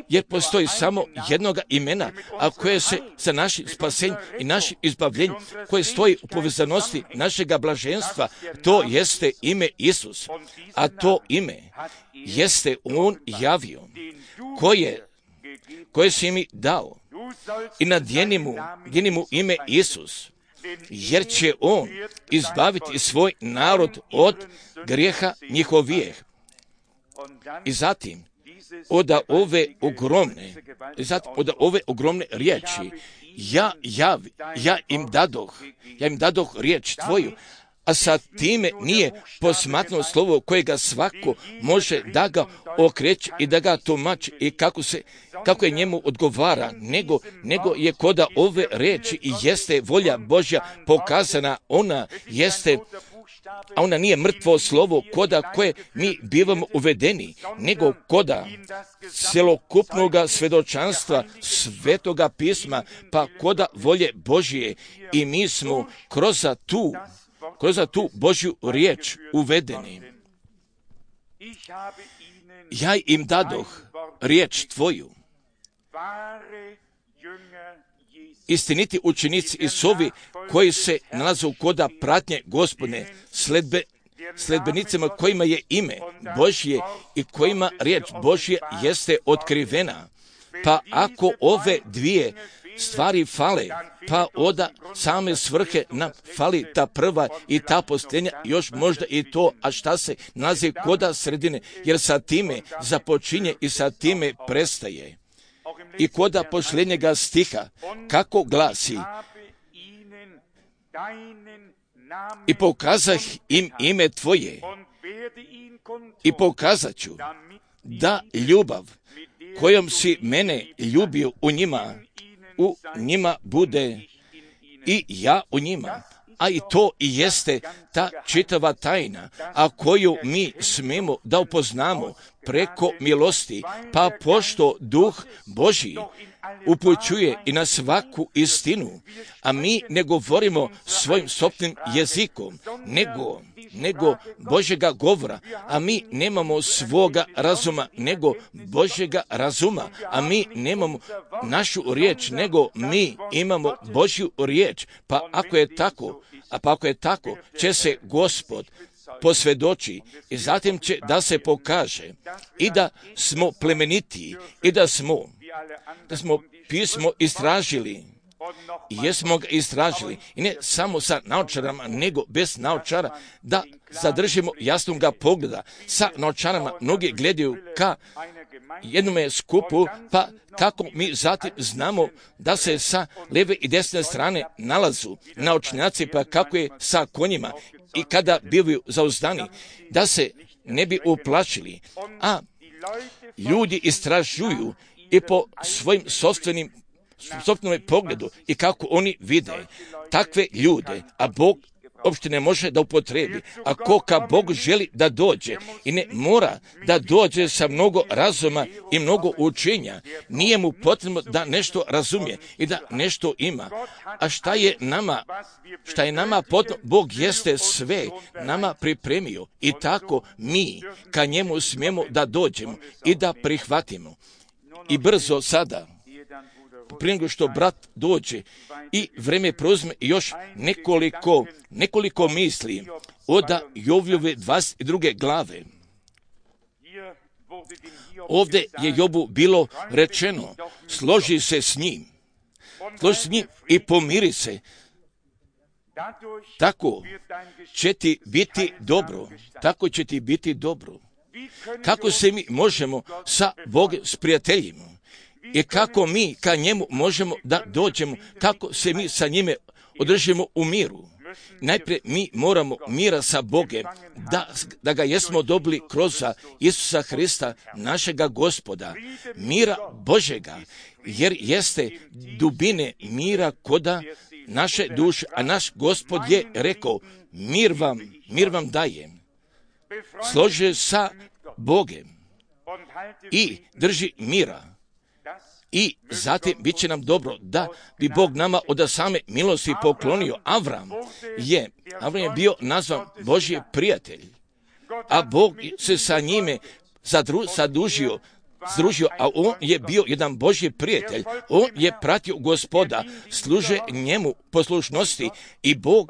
[SPEAKER 1] Jer postoji samo jednoga imena, a koje se za naše spasenje i naše izbavljenje, koje stoji u povezanosti našega blaženstva, to jeste ime Isus. A to ime jeste on javio, koje si mi dao. I nadjeni mu ime Isus, jer će on izbaviti svoj narod od grijeha njihovijeh. I zatim, od ove ogromne riječi, ja im dadoh riječ Tvoju, a sa time nije posmatno slovo kojega svako može da ga okreće i da ga tumači i kako je njemu odgovara, nego je koda ove riječi i jeste volja Božja pokazana, a ona nije mrtvo slovo koda koje mi bivamo uvedeni, nego koda celokupnoga svedočanstva Svetoga pisma, pa koda volje Božje, i mi smo kroz tu Božju riječ uvedeni. Ja im dadoh riječ Tvoju. Istiniti učenici Isusovi koji se nalaze koda pratnje Gospodne, sledbenicima kojima je ime Božje i kojima riječ Božje jeste otkrivena. Pa ako ove dvije stvari fale, pa od same svrhe nam fali ta prva i ta posljednja, još možda i to, a šta se nalazi koda sredine, jer sa time započinje i sa time prestaje. I koda posljednjega stiha, kako glasi, i pokazah im ime Tvoje, i pokazat ću da ljubav kojom si mene ljubio u njima bude i ja u njima. A i to i jeste ta čitava tajna, a koju mi smemo da upoznamo preko milosti, pa pošto Duh Božji upućuje i na svaku istinu, a mi ne govorimo svojim sopstvenim jezikom, nego Božjega govora, a mi nemamo svoga razuma, nego Božjega razuma, a mi nemamo našu riječ, nego mi imamo Božju riječ. Pa ako je tako, će se Gospod posvjedoči i zatim će da se pokaže i da smo plemenitiji i da smo pismo istražili. I jesmo ga istražili, i ne samo sa naočarama, nego bez naočara, da zadržimo jasnoga pogleda. Sa naočarama mnogi gledaju ka jednome skupu, pa kako mi zatim znamo da se sa lijeve i desne strane nalazu naočnjaci, pa kako je sa konjima i kada bivaju zauzdani, da se ne bi uplašili. A ljudi istražuju i po svojim sopstvenom pogledu i kako oni vide takve ljude, a Bog uopšte ne može da upotrebi. Ako ka Bog želi da dođe i ne mora da dođe sa mnogo razuma i mnogo učenja, nije mu potrebno da nešto razumije i da nešto ima. A šta je nama potrebno? Bog jeste sve nama pripremio i tako mi ka njemu smijemo da dođemo i da prihvatimo. I brzo sada, prije nego što brat dođe i vreme preuzme još nekoliko misli od Jovljove 22. glave. Ovdje je Jobu bilo rečeno, složi se s njim i pomiri se. Tako će ti biti dobro. Tako će ti biti dobro. Kako se mi možemo sa Bogom sprijateljimo? I kako mi ka njemu možemo da dođemo, kako se mi sa njime održimo u miru. Najprije mi moramo mira sa Bogom, da ga jesmo dobili kroz Isusa Hrista, našega Gospoda, mira Božega, jer jeste dubine mira koda naše duše, a naš Gospod je rekao, mir vam dajem. Složi sa Bogom i drži mira. I zatim bit će nam dobro da bi Bog nama od same milosti poklonio. Avram je bio nazvan Božji prijatelj, a Bog se sa njime združio, a on je bio jedan Božji prijatelj. On je pratio Gospoda, služe njemu poslušnosti i Bog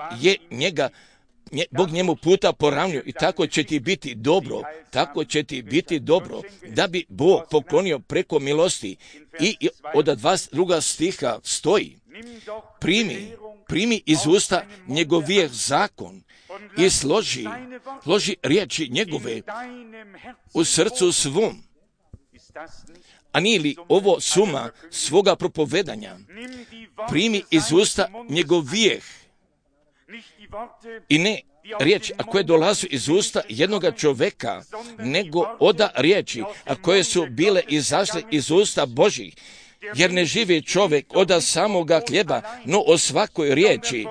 [SPEAKER 1] njemu puta poravnio i tako će ti biti dobro, da bi Bog poklonio preko milosti. I od 22. stiha stoji, primi iz usta njegovih zakon i složi riječi njegove u srcu svom. A nije li ovo suma svoga propovedanja? Primi iz usta njegovih i ne riječ, a koje dolaze iz usta jednoga čovjeka, nego oda riječi, a koje su bile izašle iz usta Božih. Jer ne živi čovjek od samoga hljeba, no o svakoj riječi,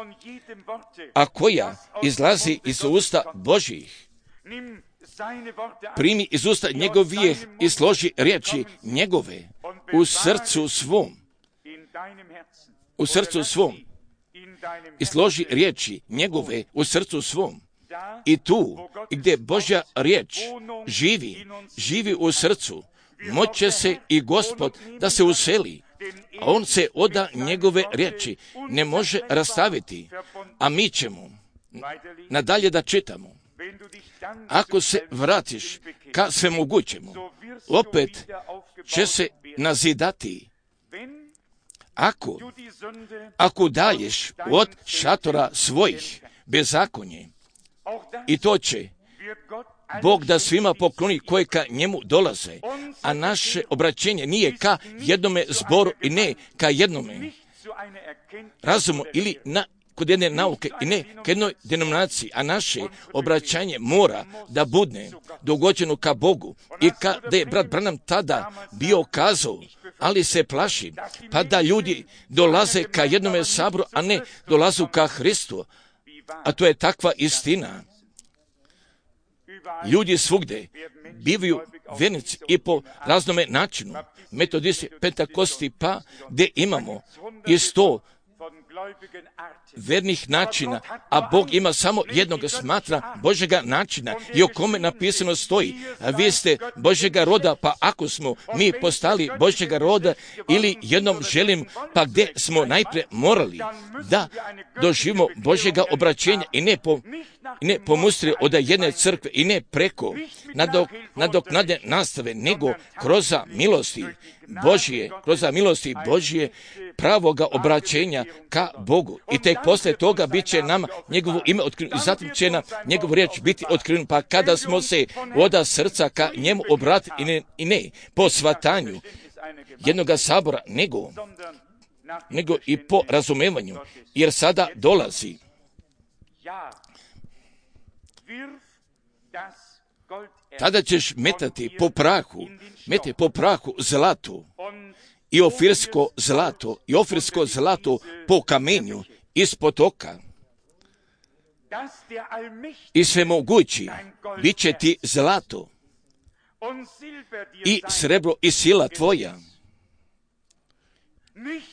[SPEAKER 1] a koja izlazi iz usta Božih. Primi iz usta njegovih i složi riječi njegove u srcu svom. I složi riječi njegove u srcu svom. I tu, gdje Božja riječ živi u srcu, moće se i Gospod da se useli, a on se oda njegove riječi ne može rastaviti, a mi ćemo nadalje da čitamo. Ako se vratiš ka svemogućemu, opet će se nazidati. Ako dalješ od šatora svojih bezakonje, i to će Bog da svima pokloni koji ka njemu dolaze, a naše obraćenje nije ka jednome zboru i ne ka jednome razumu ili kod jedne nauke i ne ka jednoj denominaciji, a naše obraćanje mora da bude dogođeno ka Bogu. I kada je brat Branham tada bio kazao, ali se plaši, pa da ljudi dolaze ka jednome saboru, a ne dolazu ka Hristu. A to je takva istina. Ljudi svugde bivaju vernici i po raznome načinu, metodisti, pentakosti, pa gdje imamo i 100 vernih načina, a Bog ima samo jednog, smatra Božjega načina i o kome napisano stoji, a vi ste Božjega roda, pa ako smo mi postali Božjega roda ili jednom želim, pa gdje smo najprije morali da doživimo Božjega obraćenja i ne pomustri od jedne crkve i ne preko nadoknade nastave, nego kroz milosti Božje pravoga obraćenja ka Bogu. I tek poslije toga bit će nama njegovo ime otkriveno i zatim će nam njegovu riječ biti otkriveno. Pa kada smo se od srca ka njemu obratili i ne po shvatanju jednoga sabora, nego i po razumevanju, jer sada dolazi. Tada ćeš metati po prahu zlato i ofirsko zlato po kamenju ispod oka. i svemogući bit će ti zlato i srebro i sila tvoja.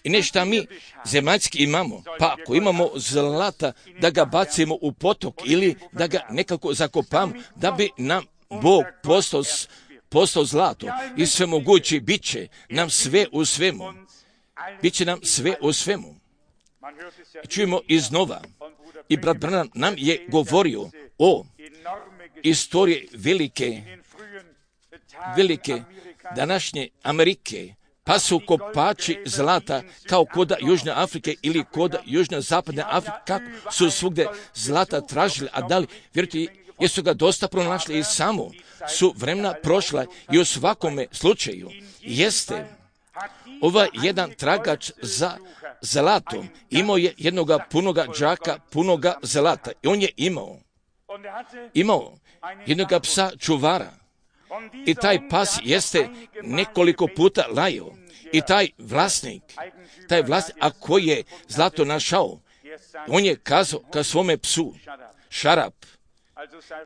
[SPEAKER 1] I ne šta mi zemaljski imamo, pa ako imamo zlata da ga bacimo u potok ili da ga nekako zakopamo, da bi nam Bog postao zlato i svemogući bit će nam sve u svemu. Biće nam sve u svemu. Čujemo iznova. I brat Branham nam je govorio o istoriji velike današnje Amerike, pa su kopači zlata kao koda Južne Afrike ili koda Južne Zapadne Afrike, kako su svugdje zlata tražili, a da li, vjerujte, jesu ga dosta pronašli i samo su vremena prošla i u svakome slučaju jeste ovaj jedan tragač za zlatom imao je jednoga punoga džaka, punoga zlata. I on je imao jednoga psa čuvara. I taj pas jeste nekoliko puta lajao. I taj vlasnik, ako je zlato našao, on je kazao ka svome psu, šarap,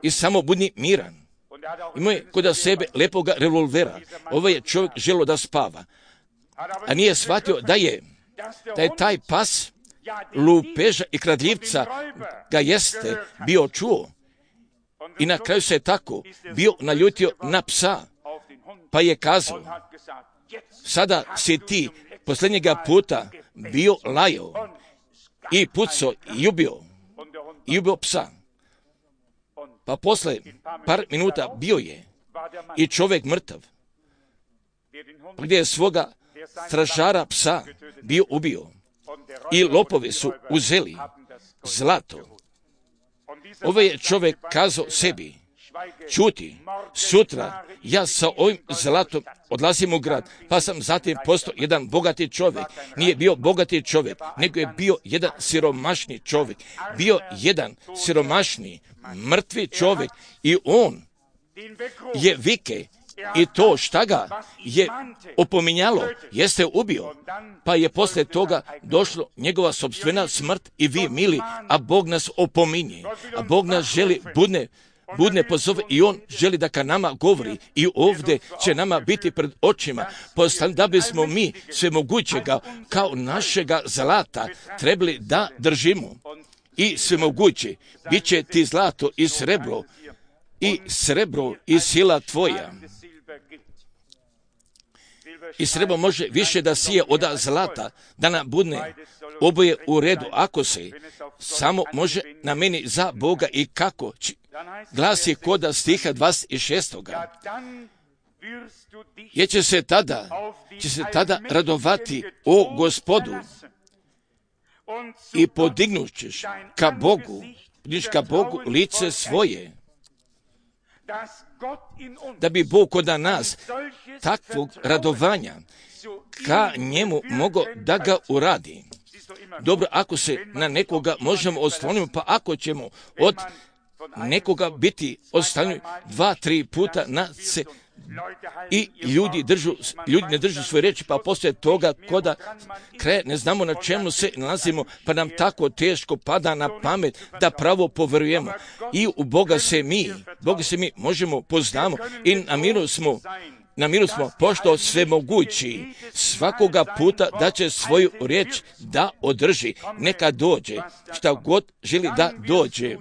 [SPEAKER 1] i samo budi miran. Imao je kod sebe lepoga revolvera. Ovaj je čovjek želio da spava, a nije shvatio da je taj pas lupeža i kradljivca ga jeste bio čuo. I na kraju se tako bio naljutio na psa, pa je kazao, sada si ti posljednjega puta bio lajao i pucao i ubio psa. Pa posle par minuta bio je i čovjek mrtav, gdje je svoga stražara psa bio ubio. I lopovi su uzeli zlato. Ovaj je čovjek kazao sebi, čuti, sutra ja sa ovim zlatom odlazim u grad, pa sam zatim postao jedan bogati čovjek. Nije bio bogati čovjek, nego je bio jedan siromašni čovjek. Bio jedan siromašni, mrtvi čovjek i on je vike i to šta ga je opominjalo jeste ubio, pa je poslije toga došlo njegova sopstvena smrt i vi mili, a Bog nas opominje, a Bog nas želi budne pozove i on želi da ka nama govori i ovdje će nama biti pred očima, da bismo mi svemogućega kao našega zlata trebali da držimo. I svemoguće bit će ti zlato i srebro i sila tvoja. I srebro može više da sije od zlata, da nam budne oboje u redu, ako se samo može nameni za Boga i kako. Glasi koda stiha 26. Jer će se tada radovati o Gospodu i podignućeš ka Bogu lice svoje, da bi Bog kod nas takvog radovanja ka njemu mogao da ga uradi. Dobro, ako se na nekoga možemo osloniti, pa ako ćemo od nekoga biti ostavljeni 2-3 puta na se i ljudi ne držu svoje riječi, pa poslije toga koda kraja ne znamo na čemu se nalazimo, pa nam tako teško pada na pamet da pravo poverujemo. I u Boga se mi možemo poznamo i na miru smo pošto svemogući svakoga puta da će svoju riječ da održi. Neka dođe, šta god želi da dođe.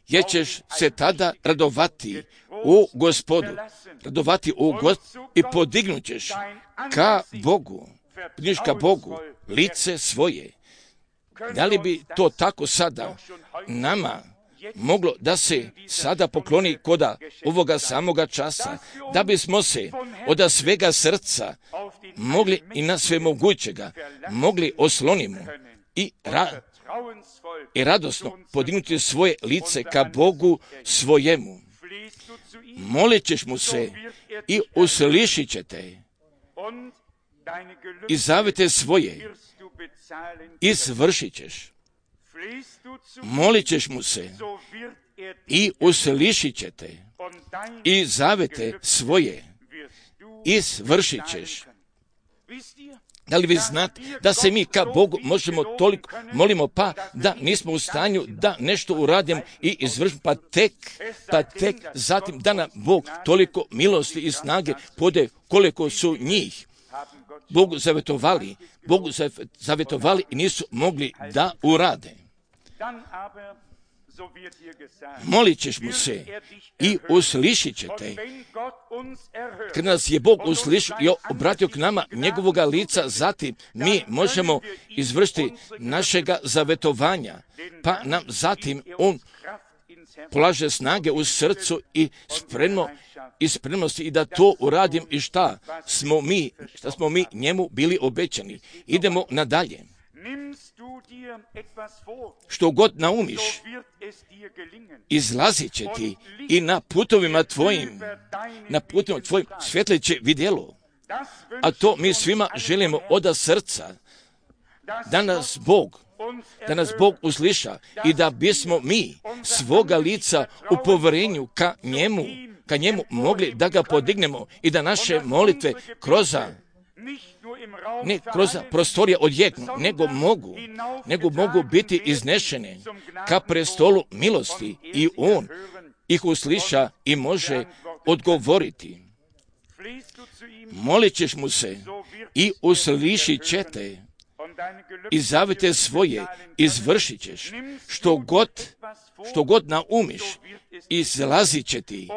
[SPEAKER 1] Jer ćeš se tada radovati u Gospodu, i podignut ćeš ka Bogu lice svoje. Da li bi to tako sada nama moglo da se sada pokloni koda ovoga samoga časa, da bismo se od svega srca mogli i na svemogućega mogli oslonimo i radosno podignuti svoje lice ka Bogu svojemu. Molit ćeš mu se i uslišit ćete i zavete svoje izvršit ćeš. Molit ćeš mu se i uslišit ćete i zavete svoje izvršit ćeš. Da li vi znate da se mi ka Bogu možemo toliko molimo, pa da nismo u stanju da nešto uradimo i izvršimo, pa tek zatim da nam Bog toliko milosti i snage pode koliko su njih Bogu zavjetovali i nisu mogli da urade. Molit ćeš mu se i uslišit će te. Kad nas je Bog uslišio i obratio k nama njegovoga lica, zatim mi možemo izvršiti našega zavetovanja, pa nam zatim on polaže snage u srcu i spremnosti i da to uradim i šta smo mi njemu bili obećani. Idemo nadalje. Što god naumiš, izlazit će ti i na putovima tvojim svjetlit će vidjelo. A to mi svima želimo od srca, da nas Bog usliša i da bismo mi svoga lica u povjerenju ka njemu mogli da ga podignemo i da naše molitve ne kroz prostorije odjeknu, nego mogu biti iznešene ka prestolu milosti i on ih usliša i može odgovoriti. Molit ćeš mu se i uslišit će te i zavete svoje izvršit ćeš. Što god naumiš, izlazit će ti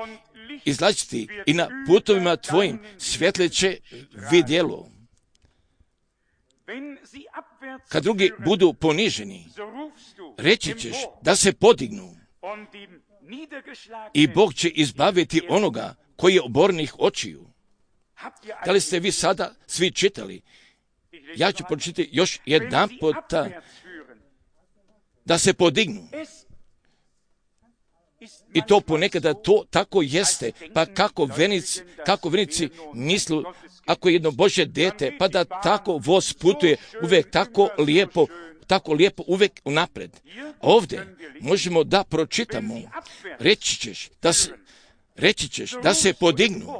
[SPEAKER 1] i na putovima tvojim svjetlit će vidjelo. Kad drugi budu poniženi, reći ćeš da se podignu i Bog će izbaviti onoga koji je obornih očiju. Da li ste vi sada svi čitali? Ja ću pročitati još jedan puta. Da se podignu. I to ponekada to tako jeste, pa kako venici mislu, ako je jedno Božje dete, pa da tako voz putuje uvijek tako lijepo uvijek unapred. Ovdje možemo da pročitamo, reći ćeš da se podignu.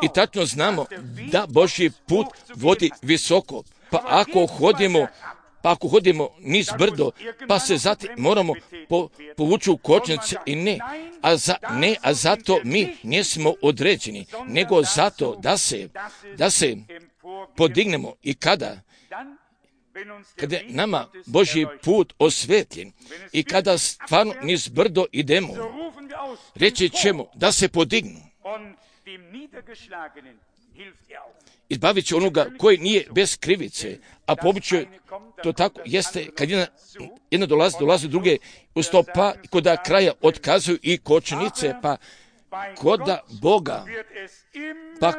[SPEAKER 1] I tačno znamo da Božji put vodi visoko, pa ako hodimo niz brdo, pa se zatim moramo povući u kočnice i a zato mi nismo određeni, nego zato da se podignemo i kada je nama Božji put osvetljen i kada stvarno niz brdo idemo, reći ćemo da se podignu. Izbavit će onoga koji nije bez krivice, a po običaju to tako jeste kad jedna dolazi druge u sto, pa koda kraja otkazuju i kočnice, pa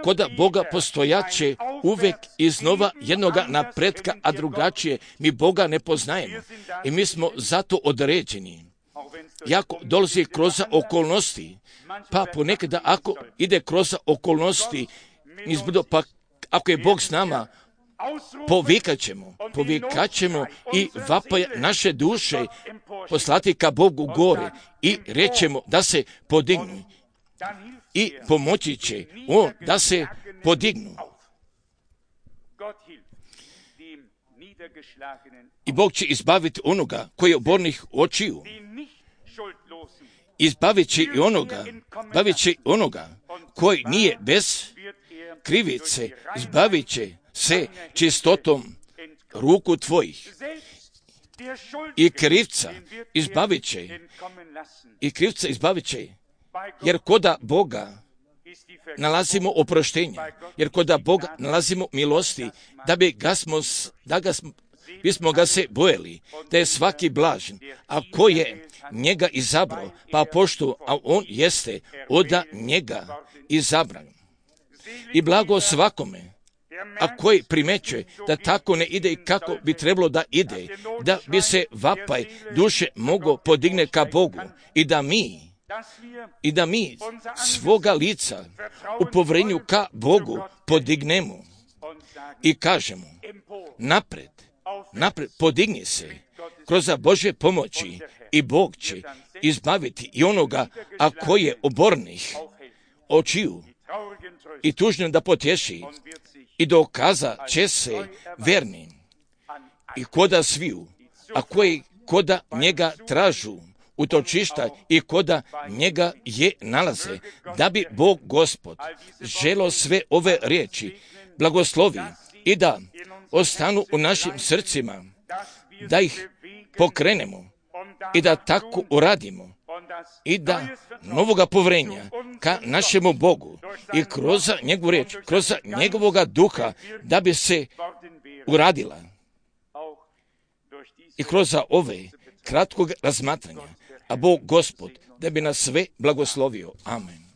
[SPEAKER 1] koda Boga postojaće uvijek iznova jednoga napretka, a drugačije mi Boga ne poznajemo i mi smo zato određeni. Jako dolazi kroz okolnosti, pa ponekada ako ide kroz okolnosti nizbrdo, pa ako je Bog s nama, povikat ćemo i vapaja naše duše poslati ka Bogu gore i rećemo da se podignu i pomoći će on da se podignu. I Bog će izbaviti onoga koji je obornih očiju. Izbavit će i onoga koji nije bez krivice, izbavit će se čistotom ruku tvojih. I krivca izbavit će, jer koda Boga nalazimo oproštenje, jer koda Boga nalazimo milosti, bismo ga se bojali, da je svaki blažen, a ko je njega izabrao, pa pošto, a on jeste od njega izabran. I blago svakome, a koji primećuje da tako ne ide i kako bi trebalo da ide, da bi se vapaj duše mogao podigne ka Bogu i da mi svoga lica u povjerenju ka Bogu podignemo i kažemo napred, podigni se kroz Božje pomoći i Bog će izbaviti i onoga, a koji je obornih očiju, i tužnim da potješi i dokaza će se vernim i koda sviju, a koji koda njega tražu utočišta i koda njega je nalaze, da bi Bog Gospod želo sve ove riječi blagoslovi i da ostanu u našim srcima, da ih pokrenemo i da tako uradimo i da novoga povrenja ka našemu Bogu i kroz njegovu riječ, kroz njegovoga duha, da bi se uradila i kroz ove kratkog razmatranja, a Bog Gospod da bi nas sve blagoslovio. Amen.